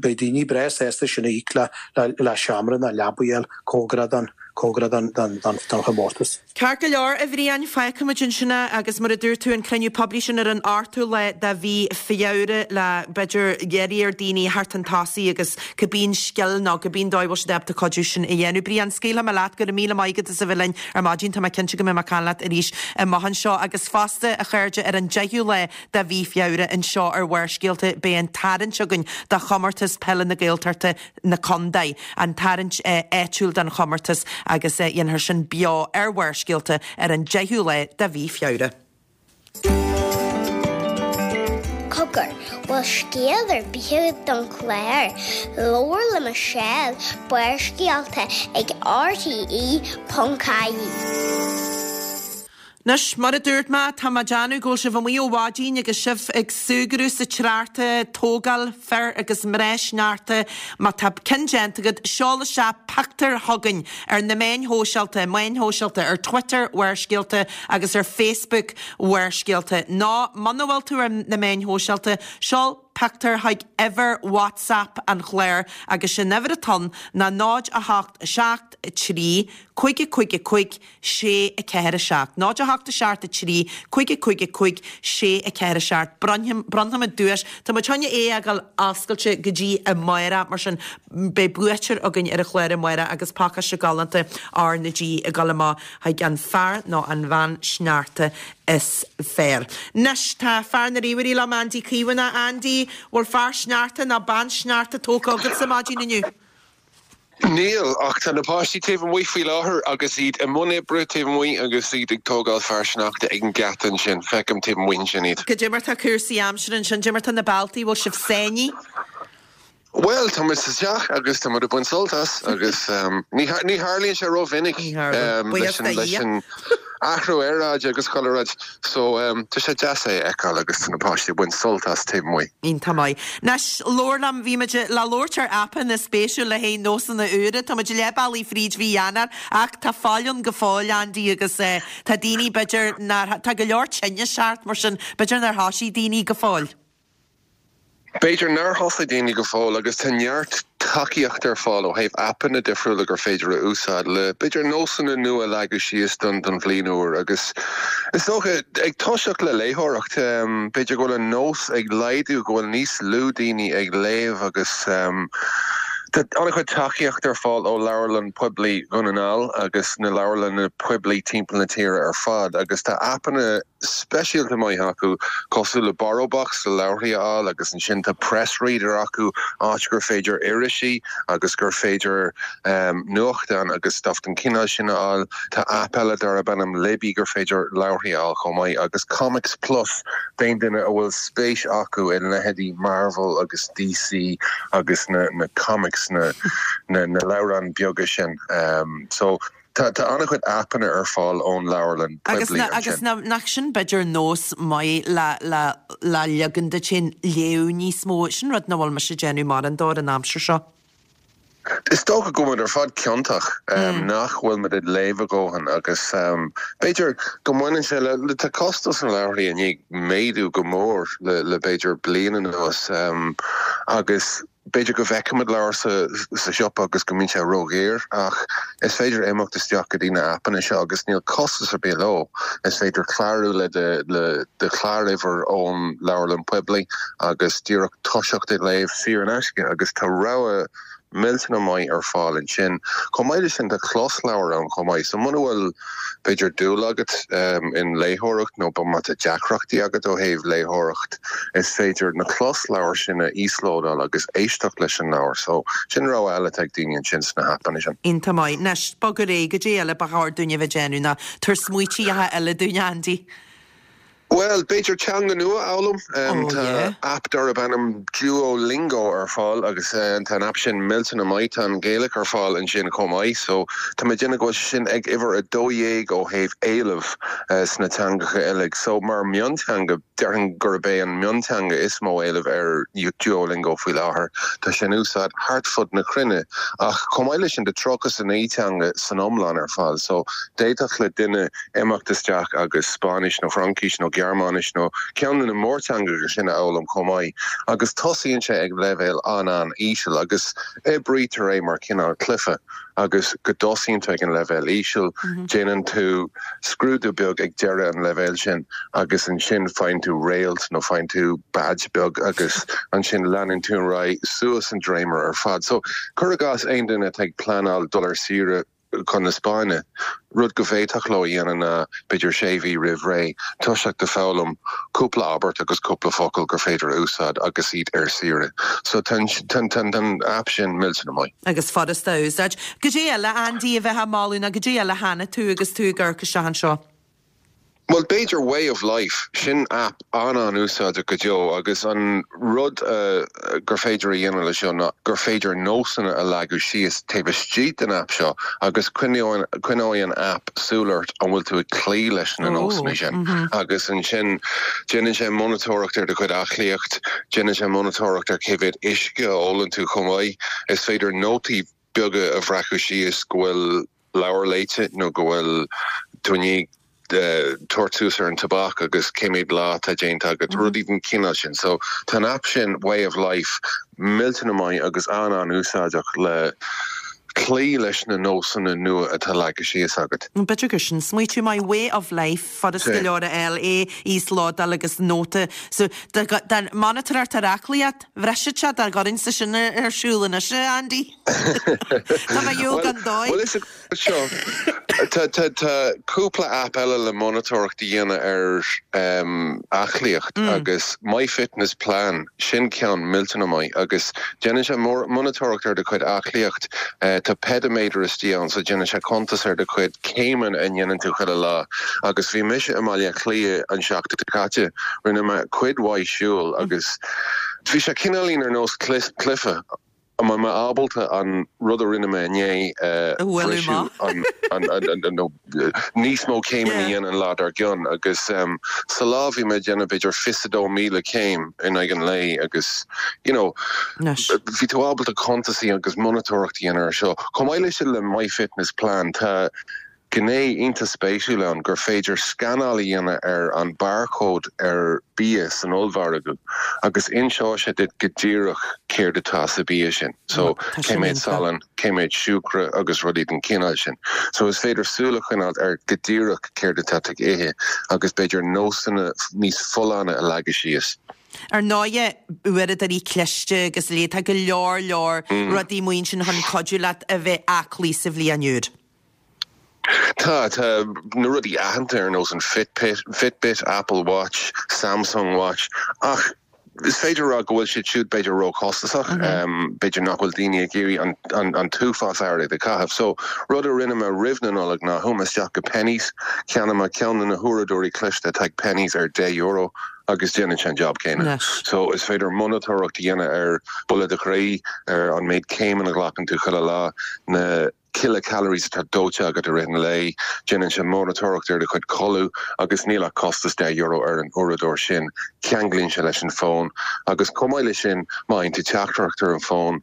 S5: beidh daoine breá sásta sin a íoc le, le, le seomra nó leabaidh a fháil cóngarach don, cóngarach don, don, don, don chomórtas.
S1: Ceart go leor, a Bhriain, fágfaimid ansin é agus mar a dúirt tú, an cruinniú poiblí sin ar an ochtú lá de mhí Feabhra le, b'fhéidir, iarraidh ar daoine theacht chun tosaigh agus cibé an scil nó cibé an dóigh a bhfuil siad ábalta cuidiú sin a dhéanamh. Brian, scaoilfidh mé leat, go raibh míle maith agat as a bheith linn ar maidin, tá mé cinnte go mbeidh mé ag caint leat arís amach anseo agus fosta, a chairde, ar an deichiú lá de mhí Feabhra anseo ar Bharrscéalta beidh an tarraingt againn do chomórtas peile na Gaeltachta na Condae, an tarraingt áitiúil don chomórtas agus dhéanfar sin beo ar Bharrscéalta ar an 10ú lá de mhí Feabhra.
S3: Cogar, bhfuil scéal ar bith agat don chlár? Labhair le Michelle, Barrscéalta ag rte.ie.
S1: Anois, mar a dúirt mé, tá mé ag déanamh go bhfuil sibh amuigh ó mhaidin agus sibh ag súgradh sa tsneachta, tógáil fir agus mná sneachta. Má tá ceann déanta agat, seol isteach pictiúr chugainn ar na meáin shóisialta, meáin shóisialta, ar Twitter, Bharrscéalta, agus ar Facebook, Bharrscéalta. Nó, muna bhfuil tú ar na meáin shóisialta, seol pictiúr chuig uimhir WhatsApp an chláir agus sin uimhir atá ann ná 0 8 7 3 5 5 5 6 4 7 0 8 7 3 5 5 5 6 4 7 Bronnfaimid duais. Tá muid chun é a fhágáil oscailte go dtí amárach, mar sin beidh buaiteoir againn ar an chlár amárach agus pacáiste galánta R na G ag dul amach chuig an fear nó an bhean sneachta is fearr. Anois tá fear na ríomhairí liom, Andy Caomhánach. Andy, bhfuil fear sneachta nó bean sneachta tógtha agatsa maidin inniu?
S8: Níl, ach tá na páistí taobh amuigh faoi láthair agus iad i mbun oibre taobh amuigh agus iad ag tógáil fear sneachta ag an geata ansin. Feicim taobh amuigh ansin iad.
S1: Goidé mar tá cúrsaí aimsire ansin, goidé mar tá na bealtaí, bhfuil sibh sáinnithe?
S8: Bhuel, tá muid sa teach agus tá muid ag baint sult as agus ní tharlaíonn sé rómhinic leis an athrú aeráide agus chuile rud. So, tá sé deas é a fheiceáil agus tá na páistí ag baint sult as taobh amuigh.
S1: Iontach maith. Anois, labhair liom, bhí muid le labhairt ar aipeanna spéisiúil le haghaidh nósanna úra. Tá muid leath bealaigh fríd mhí Eanáir ach tá fáil ann go fóill, Andy, agus tá daoine, b'fhéidir, nár, tá go leor tinnis thart, mar sin, b'fhéidir nár thoisigh daoine go fóill.
S8: B'fhéidir nár thosaigh daoine go fóill agus tá neart tacaíocht ar fáil ó thaobh aipeanna difriúla gur féidir a úsáid le, b'fhéidir, nósanna nua a leagadh síos don don bhliain úr agus is dócha, ag toiseacht le léitheoireacht, b'fhéidir go bhfuil an nós ag laghdú, go bhfuil níos lú daoine ag léamh agus tá an-chuid tacaíocht ar fáil ó Leabharlann Poiblí Dhún na nGall agus na leabharlanna poiblí timpeall na tíre ar fad agus tá aipeanna speisialta maith acu, cosúil le Borrowbox le leabharthaí a fháil agus ansin tá PressReader acu, áit gur féidir irisí agus gur féidir nuachtáin agus stuff den chineál sin a fháil. Tá aip eile darb ainm Libby gur féidir leabharthaí a fháil chomh maith agus Comics Plus d'aon duine a bhfuil spéis acu i leithéidí Marvel agus DC agus na na comics, na na leabhráin beaga sin. So. Tá an-chuid aipeanna ar fáil ón leabharlann poiblí ansin.
S1: Agus nach sin b'fhéidir nós maith le le le ligean duit féin léamh níos mó. Sin rud nach bhfuil mise ag déanamh mórán de an aimsir seo.
S8: Is dócha go bhfuil muid ar fad ciontach nach bhfuil muid ag léamh a dhóthain agus b'fhéidir go mbaineann sé le, tá costas na leabharthaí i ndiaidh méadú go mór le le b'fhéidir bliain anuas agus B'fhéidir go bhfeicimid leabhar sa siopa agus go mbíonn sé ródhaor, ach is féidir imeacht isteach go dtí na aipeanna seo agus níl costas ar bith leo. Is féidir clárú le do chláruimhir ón leabharlann poiblí agus díreach toiseacht ag léamh saor in aisce agus tá rogha millteanach maith ar fáil ansin. Chomh maith leis sin tá closleabhair ann chomh maith, so muna bhfuil b'fhéidir dúil agat in léitheoireacht nó má tá deacrachtaí agat ó thaobh léitheoireacht, is féidir na closleabhair sin a íoslódáil agus éisteacht leis an leabhar. So, sin rogha eile atá ag daoine ansin sna haipeanna sin.
S1: Iontach maith. Anois, bog ar aghaidh, goidé eile ba chóir dúinn a bheith ag déanamh nó tabhair smaoitíocha eile dúinn, Andy.
S8: Bhuel, b'fhéidir teanga nua a fhoghlaim. Tá aip darb ainm Duolingo ar fáil agus tá an aip sin millteanach maith. Tá an Ghaeilge ar fáil ansin chomh maith. So, tá mé ag déanamh go bhfuil sé sin ag uimhir 12 ó thaobh éileamh sna teangacha uilig. So, mar mhionteanga, déarfainn gurb é an mionteanga is mó éileamh ar Duolingo faoi láthair. Tá sé in úsáid thart fud na cruinne. Ach chomh maith leis sin, tá 39 teanga san iomlán ar fáil. So, d'fhéadfadh le duine imeacht isteach agus Spáinnis nó Fraincis nó Gearmáinis nó ceann de na mórteangacha sin a fhoghlaim chomh maith agus tosaíonn sé ag leibhéal an-an-íseal agus oibrítear é mar chineál cluiche agus go dtosaíonn tú ag an leibhéal íseal, déanann tú scrúdú beag ag deireadh an leibhéil sin agus ansin faigheann tú réalt nó faigheann tú badge beag agus ansin leanann tú ar aghaidh suas an dréimire ar fad. So, cuir i gcás aon duine atá ag pleanáil dul ar saoire, chun na Spáinne, rud go bhféadfadh leo a dhéanamh ná, b'fhéidir sé mhí roimh ré, toiseacht ag foghlaim cúpla abairt agus cúpla focal gur féidir a úsáid agus iad ar saoire. So tá an aip sin millteanach maith.
S1: Agus furasta a úsáid. Goidé eile, Andy, a bheifeá ag moladh nó goidé eile a chonaic tú agus tú ag amharc isteach anseo?
S8: Bhuel, b'fhéidir Way of Life, sin aip an-an-úsáideach go deo agus an rud gur féidir a dhéanamh leis seo ná gur féidir nósanna a leagadh síos taobh istigh den aip seo agus coinneoidh an aip súil ort an bhfuil tú ag cloí leis na nósanna sin agus ansin déanann sé monatóireacht ar do chuid aclaíocht, déanann sé monatóireacht ar cé mhéad uisce a ólann tú chomh maith. Is féidir nótaí beaga a bhreacadh síos go bhfuil leabhar léite nó go bhfuil tú i ndiaidh tabhairt suas ar an tobac agus cé mhéad lá atá déanta agat, rudaí den chineál sin. So tá an aip sin, Way of Life, millteanach maith agus an-an-úsáideach le cloí leis na nósanna nua atá leagtha síos agat.
S1: B'fhéidir gur sin smaoitiú maith, Way of Life, furast go leor a fháil, é íoslódáil agus nóta. So dá monatóireacht ar aclaíocht, bhrisfeadh sé dá gcuirfinnse sin ar siúl anois, a Andy. Tá mé ar shiúl gan dóigh.
S8: Bhuel, is seo, tá cúpla aip eile le monatóireacht a dhéanamh ar aclaíocht agus MyFitnessPlan, sin ceann millteanach maith agus déanann sé monatóireacht ar do chuid aclaíocht. Tá peidiméadar istigh ann so déanann sé cuntas ar do chuid céimeanna a ndéanann tú chuile lá. Agus bhí mise i mBaile Átha Cliath an seachtain seo caite, rinne mé cuid mhaith siúil agus bhí sé cineáilín ar nós cluiche. An mbeidh mé ábalta an rud a rinne mé inné a bhriseadh, nó níos mó céimeanna a dhéanamh an lá dár gcionn? Agus sa lá bhí mé ag déanamh b'fhéidir 22,000 céim in aghaidh an lae agus you know bhí tú ábalta cuntas agus monatóireacht a dhéanamh ar seo. Chomh maith leis sin le MyFitnessPlan tá. gné iontach spéisiúil ann gur féidir scanáil a dhéanamh ar an barcode ar bia san ollmhargadh agus inseoidh sé duit go díreach céard atá sa bia sin. So, cé mhéad salann, cé mhéad siúcra agus rudaí den chineál sin. So, is féidir súil a choinneáilt ar go díreach céard atá tú ag ithe agus b'fhéidir nósanna níos folláine a leagadh síos.
S1: Ar ndóighe, uaireadóirí cliste agus a leithéid, tá go leor leor rudaí amuigh ansin chun cuidiú leat a bheith aclaí sa bhliain úr.
S8: Tá, tá na rudaí aitheanta ar nós an Fitbit, Fitbit, Apple Watch, Samsung Watch ach is féidir a rá go bhfuil siad siúd b'fhéidir róchostasach, b'fhéidir nach bhfuil daoine ag iarraidh an an t-uafás airgid a chaitheamh. So, rud a rinne mé roimh na Nollag ná chuaigh mé isteach go Penneys, cheannaigh mé ceann de na huaireadóirí cliste atá ag Penneys ar €10 agus déanann sé an job céanna. So, is féidir monatóireacht a dhéanamh ar buille do chroí, ar an méid céimeanna a ghlacann tú chuile lá, na. kilocalories atá dóite agat i rith an lae, déanann sé monatóireacht ar do chuid codladh agus níl ach costas €10 ar an uaireadóir sin, ceanglaíonn sé leis an bhfón agus chomh maith leis sin má fhaigheann tú teachtaireacht ar an bhfón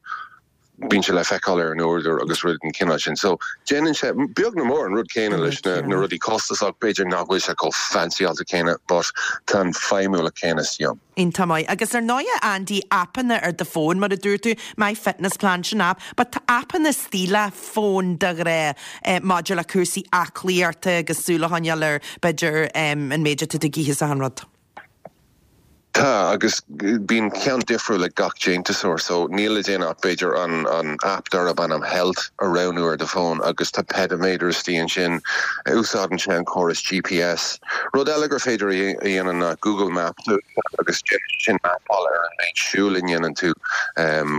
S8: bíonn sé le feiceáil ar an uaireadóir agus rudaí den chineál sin. So déanann sé beag nó mór an rud céanna leis na na rudaí costasach, b'fhéidir nach bhfuil sé chomh fancyáilte céanna but tá an feidhmiúlacht céanna istigh ann.
S1: Iontach maith. Agus ar ndóighe, Andy, aipeanna ar do fón, mar a dúirt tú, MyFitnessPlan, sin aip, but tá aipeanna istigh le fón de ghnáth maidir le cúrsaí aclaíochta agus súil a choinneáil ar, b'fhéidir, an méid atá tú ag ithe is achan rud.
S8: Tá, agus bíonn ceann difriúil ag gach déantúsóir, so níl le déanamh ach b'fhéidir an an aip darb ainm Health a roghnú ar do fón agus tá peidiméadar istigh ansin, úsáideann sé an córas GPS. Rud eile gur féidir a dhéanamh ná Google Maps a úsáid agus déanann sé sin mapáil ar an méid siúil a ndéanann tú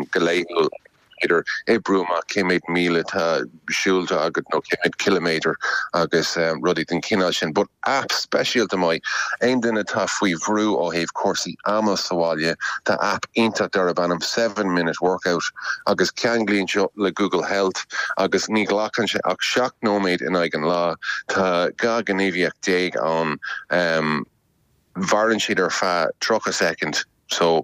S8: go laethúil agus is féidir oibriú amach cé méid míle atá siúlta agat nó cé méid ciliméadar agus rudaí den chineál sin. But aip speisialta maith, aon duine atá faoi bhrú ó thaobh cúrsaí ama sa bhaile, tá aip iontach darb ainm Seven Minute Workout agus ceanglaíonn seo le Google Health agus ní ghlacann sé ach 7 nóiméad in aghaidh an lá. Tá 12 gníomhaíocht ann. Mhaireann siad ar feadh 30 soicind so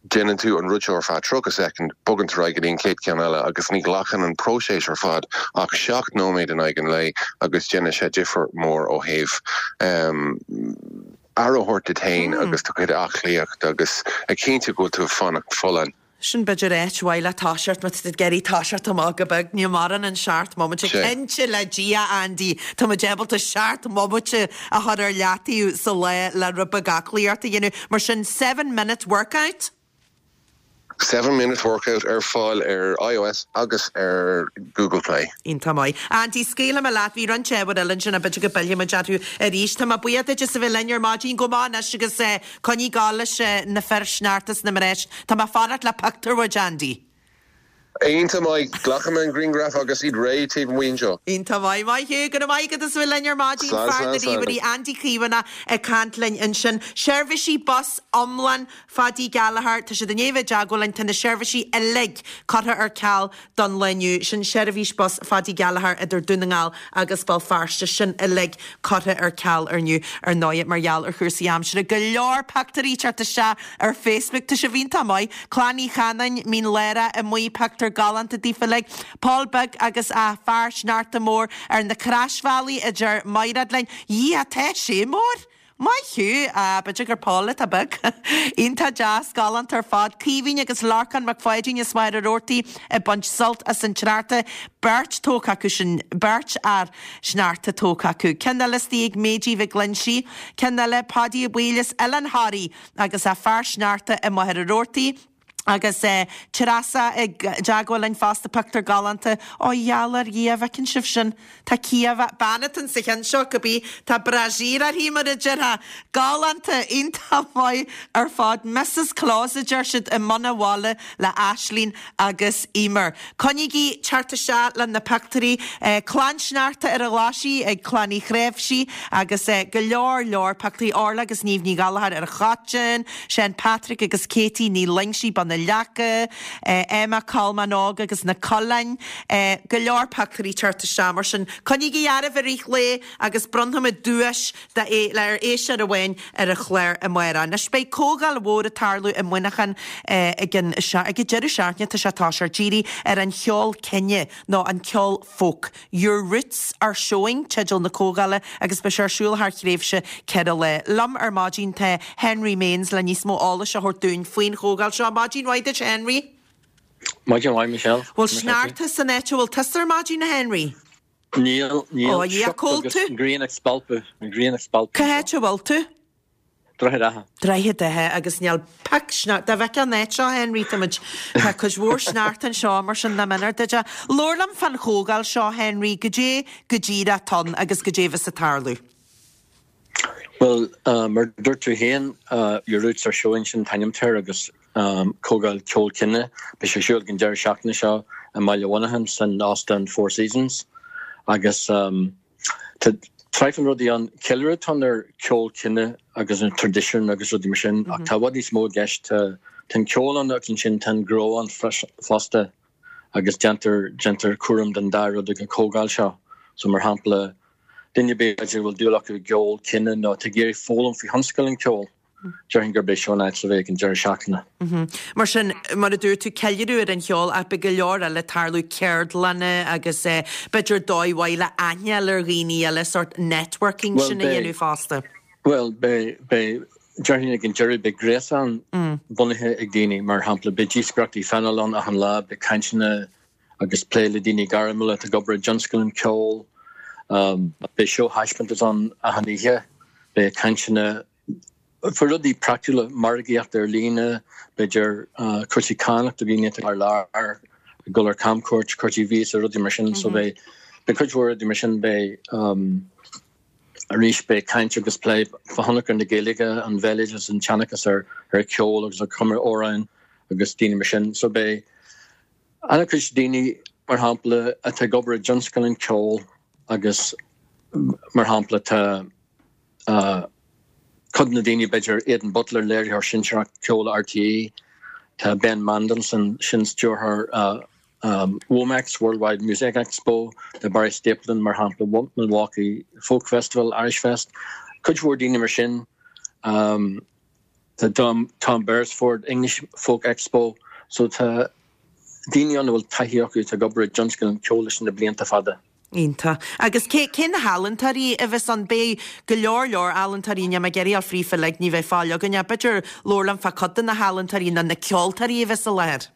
S8: déanann tú an rud seo ar feadh 30 soicind, bogann tú ar aghaidh go dtí an chéad cheann eile agus ní ghlacann an próiseas ar fad ach 7 nóiméad in aghaidh an lae agus déanann sé difear mór ó thaobh aire a thabhairt duit féin agus do chuid aclaíocht agus a chinntiú go bhfuil tú ag fanacht folláin.
S1: Sin b'fhéidir áit mhaith le toiseacht má tá tú ag iarraidh toiseacht amach go beag. Níl mórán an seacht mbomaite. Cinnte le Dia, Andy, tá muid ábalta seacht mbomaite a chur ar leataobh sa lá le rud beag aclaíocht a dhéanamh. Mar sin, seven minute workout?
S8: Seven minute workout ar fáil ar iOS agus ar Google Play.
S1: Iontach maith. Andy, scaoilfidh mé leat, bhí roinnt ábhair eile ansin ach b'fhéidir go bpillfidh muid orthu arís. Tá mé buíoch duit as a bheith linn ar maidin. Go maith anois agus Coinnigh ag gabháil leis na fir sneachta is na mná. Tá mé ag fanacht le pictiúr uait, Andy.
S8: Iontach maith. Glacfaidh mé an grianghraf agus iad réidh taobh amuigh anseo.
S1: Iontach maith. Maith thú. Go raibh maith agat as a bheith linn ar maidin.
S8: Slán,
S1: Fear na
S8: slán, slán.
S1: ríomhairí, Andy Caomhánach ag caint linn ansin. Seirbhísí bus iomlán Phaidí Gallagher, tá siad i ndiaidh a bheith i dteagmháil linn, tá na seirbhísí uilig curtha ar ceal don lá inniu. Sin seirbhís bus Phaidí Gallagher idir Dún na nGall agus Béal Feirste, sin uilig curtha ar ceal ar inniu, ar ndóighe, mar gheall ar chúrsaí aimsire. Go leor pictiúirí ag teacht isteach ar Facebook, tá sibh iontach maith. Clann Uí Chanáin, Mín Lárach amuigh, pictiúr galánta daofa uilig. Pól Beag agus a fear sneachta mór ar na croisbhealaí, a deir Maighread linn. Dhia, tá sé mór! Maith thú! Ah, b'fhéidir gur Paul atá beag. Iontach deas, galánta ar fad. Caoimhín agus Lorcán Mac Pháidín as Machaire Rabhartaigh ag baint sult as an tsneachta. Beirt tógtha acu sin, beirt fhear sneachta tógtha acu. Ceann eile istigh ag Méidí Mhic Loinsigh. Ceann eile, Páidí Ó Baoill as Oileán Thoraí agus a fear sneachta i Machaire Rabhartaigh. Agus Treasa i dteagmháil linn fosta, pictiúr galánta. Ó gheall ar Dhia, an bhfeiceann sibh sin? Tá cliabhach, bean atá sa cheann seo, cibé, tá brassiere uirthi mar a déarfá. Galánta, iontach maith ar fad. Mrs Claus a deir siad i mbun a' bhaile le Aislinn agus Emer. Coinnígí teacht isteach le na pictiúirí. Clann Sneachta ar an Ghlaisigh ag Clann Uí Chnáimhsí agus go leor leor pictiúirí. Orla agus Niamh Ní Ghallchóir ar an Choiteann, Seán Patrick agus Katie Ní Loingsigh, Bun. na Leaca, Emma Colmán Óg agus na Coileáin, go leor pictiúirí ag teacht isteach mar sin coinnígí oraibh i rith an lae agus bronnfaimid duais do ar éisteoir amháin ar an chlár amárach. Anois beidh comhdháil mhór ag tarlú i Muineachán ag an ag an deireadh seachtaine tá sé ag toiseacht dírithe ar an cheol cine nó an ceol folk. Your Roots Are Showing teideal na comhdhála agus beidh sé ar siúl thar thréimhse 4 lá. Liom ar maidin tá Henry Maines le níos mó eolais a thabhairt dúinn faoin chomhdháil seo. Maidin mhaith duit Henry.
S9: Maidin mhaith Michelle.
S1: Bhfuil sneachta san áit a bhfuil tusa ar maidin a Henry?
S9: Níl, níl. Ó, a Dhia, cá bhfuil tú? An ghrian ag spalpadh, an ghrian ag spalpadh.
S1: Cá háit a bhfuil tú?
S9: Droichead Átha.
S1: Droichead Átha agus níl pic sneachta, dá bhfeicfeá an áit seo, Henry, tá muid, tá cuid mhór sneachta anseo mar sin nach méanar duit é. Labhair liom fán chomhdháil seo, Henry, goidé go díreach atá ann agus goidé a bheas ag tarlú.
S9: Bhuel, mar a dúirt tú féin, Your Roots Are Showing sin an t-ainm atá air agus comhdháil ceol cine. Beidh sé ar siúl ag an deireadh seachtaine seo i mBaile Mhuineacháin san Óstán Four Seasons agus tá traidhfil rudaí ann. Ceiliúradh atá ann ar ceol cine agus an traidisiún agus rudaí mar sin ach tá i bhfad níos mó i gceist. Tá an ceol ann agus ansin tá an gnó ann fosta agus déantar déantar cúram den dá rud ag an chomhdháil seo. So mar shampla, duine ar bith b'fhéidir a bhfuil dúil acu i gceol cine nó atá ag iarraidh foghlaim faoi thionscal an cheoil, déarfainn gurb é seo an áit le bheith ag an deireadh seachtaine.
S1: Mar sin, mar a dúirt tú, ceiliúradh ar an cheol ach beidh go leor eile ag tarlú, ceardlanna agus b'fhéidir dóigh mhaith le aithne a fháil ar dhaoine eile, sórt networking sin a dhéanamh fosta.
S9: Bhuel, beidh, beidh, déarfainn ag an deireadh, beidh gréasán bunaithe ag daoine, mar shampla, beidh díospóireachtaí phainéil ann achan lá, beidh cainteanna agus plé le daoine gairmiúla atá ag obair i dtionscal an cheoil. Beidh seó-thaispeántas ann achan oíche, beidh cainteanna faoi rudaí praiticiúla, margaíocht ar líne, b'fhéidir cúrsaí cánach do dhaoine atá thar lear, ag dul ar camchuairt, cúrsaí víosa, rudaí mar sin. So beidh cuid mhór rudaí mar sin. Beidh arís beidh caint agus plé fá thionchar na Gaeilge, an bhéaloideas, an tseanchas ar cheol agus ar chumadh amhrán agus daoine mar sin. So beidh An-chuid daoine, mar shampla, atá ag obair i dtionscal an cheoil agus, mar shampla, tá cuid de na daoine, b'fhéidir Aidan Butler, léiritheoir sinsearach ceoil RTÉ, tá Ben Mandelson, sin stiúrthóir WOMEX, Worldwide Music Expo, tá Barry Stapleton, mar shampla, Milwaukee Folk Festival, Irish Fest, cuid mhór daoine mar sin. Tá Tom Beresford, English Folk Expo, so tá daoine ann a bhfuil taithí acu atá ag obair i dtionscal an cheoil leis na blianta fada.
S1: Iontach. Agus cé, cé na healaíontóirí a bheas ann? Beidh go leor leor ealaíontóirí, níl mé ag iarraidh a dhul fríofa uilig, ní bheidh fáil againn ach b'fhéidir labhair liom fá cuid de na healaíontóirí nó na ceoltóirí a bheas i láthair.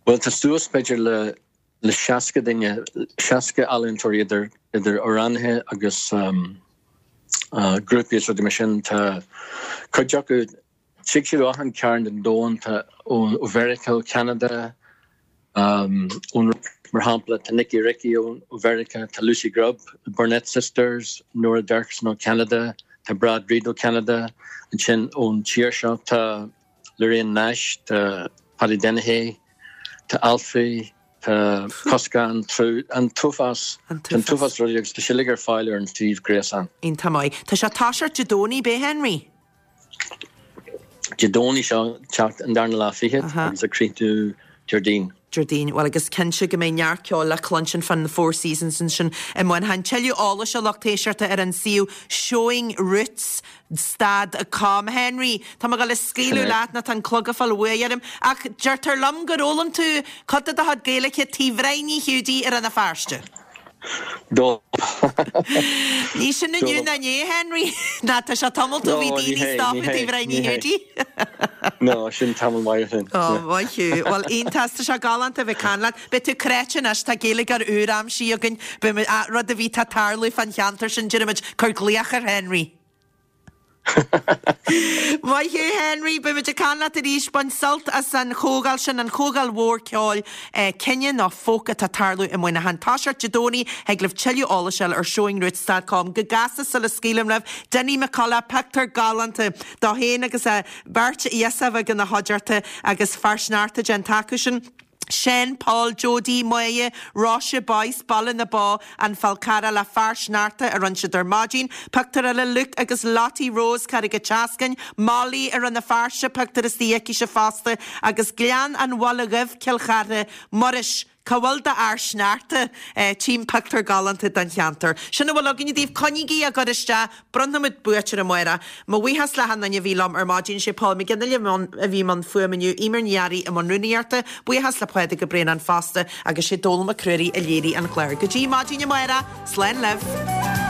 S9: Bhuel tá suas b'fhéidir le le 60 duine, 60 ealaíontóirí idir idir amhránaithe agus grúpaí is rudaí mar sin. Tá cuid acu, tig siad ó achan cearn den domhan, tá ó Mheiriceá, ó Cheanada, ón mar shampla tá Nicky Ricky ó Mheiriceá, tá Lucy Grubb, the Burnett Sisters, Nora Derksen ó Cheanada, tá Brad Reid ó Cheanada, ansin ón tír seo tá Lorraine Nash, tá Paddy Dennehy, tá Alfie, tá Coscán, an t-uafás, an t-uafás rudaí agus tá sé uilig ar fáil ar an suíomh gréasáin.
S1: Iontach maith. Tá sé ag toiseacht Dé Domhnaigh, ab é Henry?
S9: Dé Domhnaigh seo ag teacht, an darna lá fichead, agus ag críochnú Déardaoin.
S1: Déardaoin. Bhuel, agus cinnte go mbeidh neart ceoil le cluinstin fán Four Seasons ansin i Muineachán. Tuilleadh eolais a lucht éisteachta ar an suíomh Showing Roots stad com. Henry, tá mé ag dul a scaoileadh leat nó tá an clog ag fáil uaidh orm, ach deirtear liom gur fhoghlaim tú cuid de do chuid Gaeilge Tigh Bhrian Uí Hiúdaí i Rann na Feirste. Ní sin inniu ná inné, Henry. Ná tá sé tamall ó bhí daoine ag stopadh Tigh Bhrian Uí Hiúdaí.
S9: No, sin tamall maith ó shin.
S1: Ó, maith thú. Bhuel, iontach, tá sé galánta a bheith ag caint leat. Beidh tú cráite anois, tá Gaeilgeoir úr aimsithe againn. Beidh muid, rud ar bith atá ag tarlú fán cheantar sin, déarfaidh muid, cuir glaoch ar Henry. Maith thú Henry, beidh muid ag caint leat arís. Bain sult as an chomhdháil sin, an chomhdháil mhór ceoil cine nó folk atá ag tarlú i Muineachán. Toiseacht Dé Domhnaigh, thig libh tuilleadh eolais a fháil ar showingroots dot com. Go gasta sula scaoilim libh, Dinny McCullough, pictiúr galánta dó féin agus a bheirt ghiosúr bheag ina chuideachta agus fear sneachta déanta acu sin. Seán, Paul, Jodie, Máire, Róise, Boyce, Baile na Bó, An Fál Carrach le fear sneachta a rinne siad ar maidin. Pictiúr eile Luke agus Lottie Rose, Carraig a' tSeascainn, Molly i Rann na Feirste, pictiúr istigh aicise fosta agus Gleann an Bhaile Dhuibh, Cill Chartha, Muiris, Cá bhfuil d'fhear sneachta? Tchím pictiúr galánta den cheantar. Sin a bhfuil againne daoibh. Coinnígí á gcur isteach. Bronnfaimid buaiteoir amárach. Mo bhuíochas le hachan duine a bhí liom ar maidin. Sé Paul McGinley a bhí i mbun fuaime inniu, Eimear Ní Fhearraigh i mbun rúnaíochta. Buíochas le Pádraig Ó Braonáin fosta agus sé Dónall Mac Ruairí a léirigh an clár. Go dtí maidin amárach, slán libh.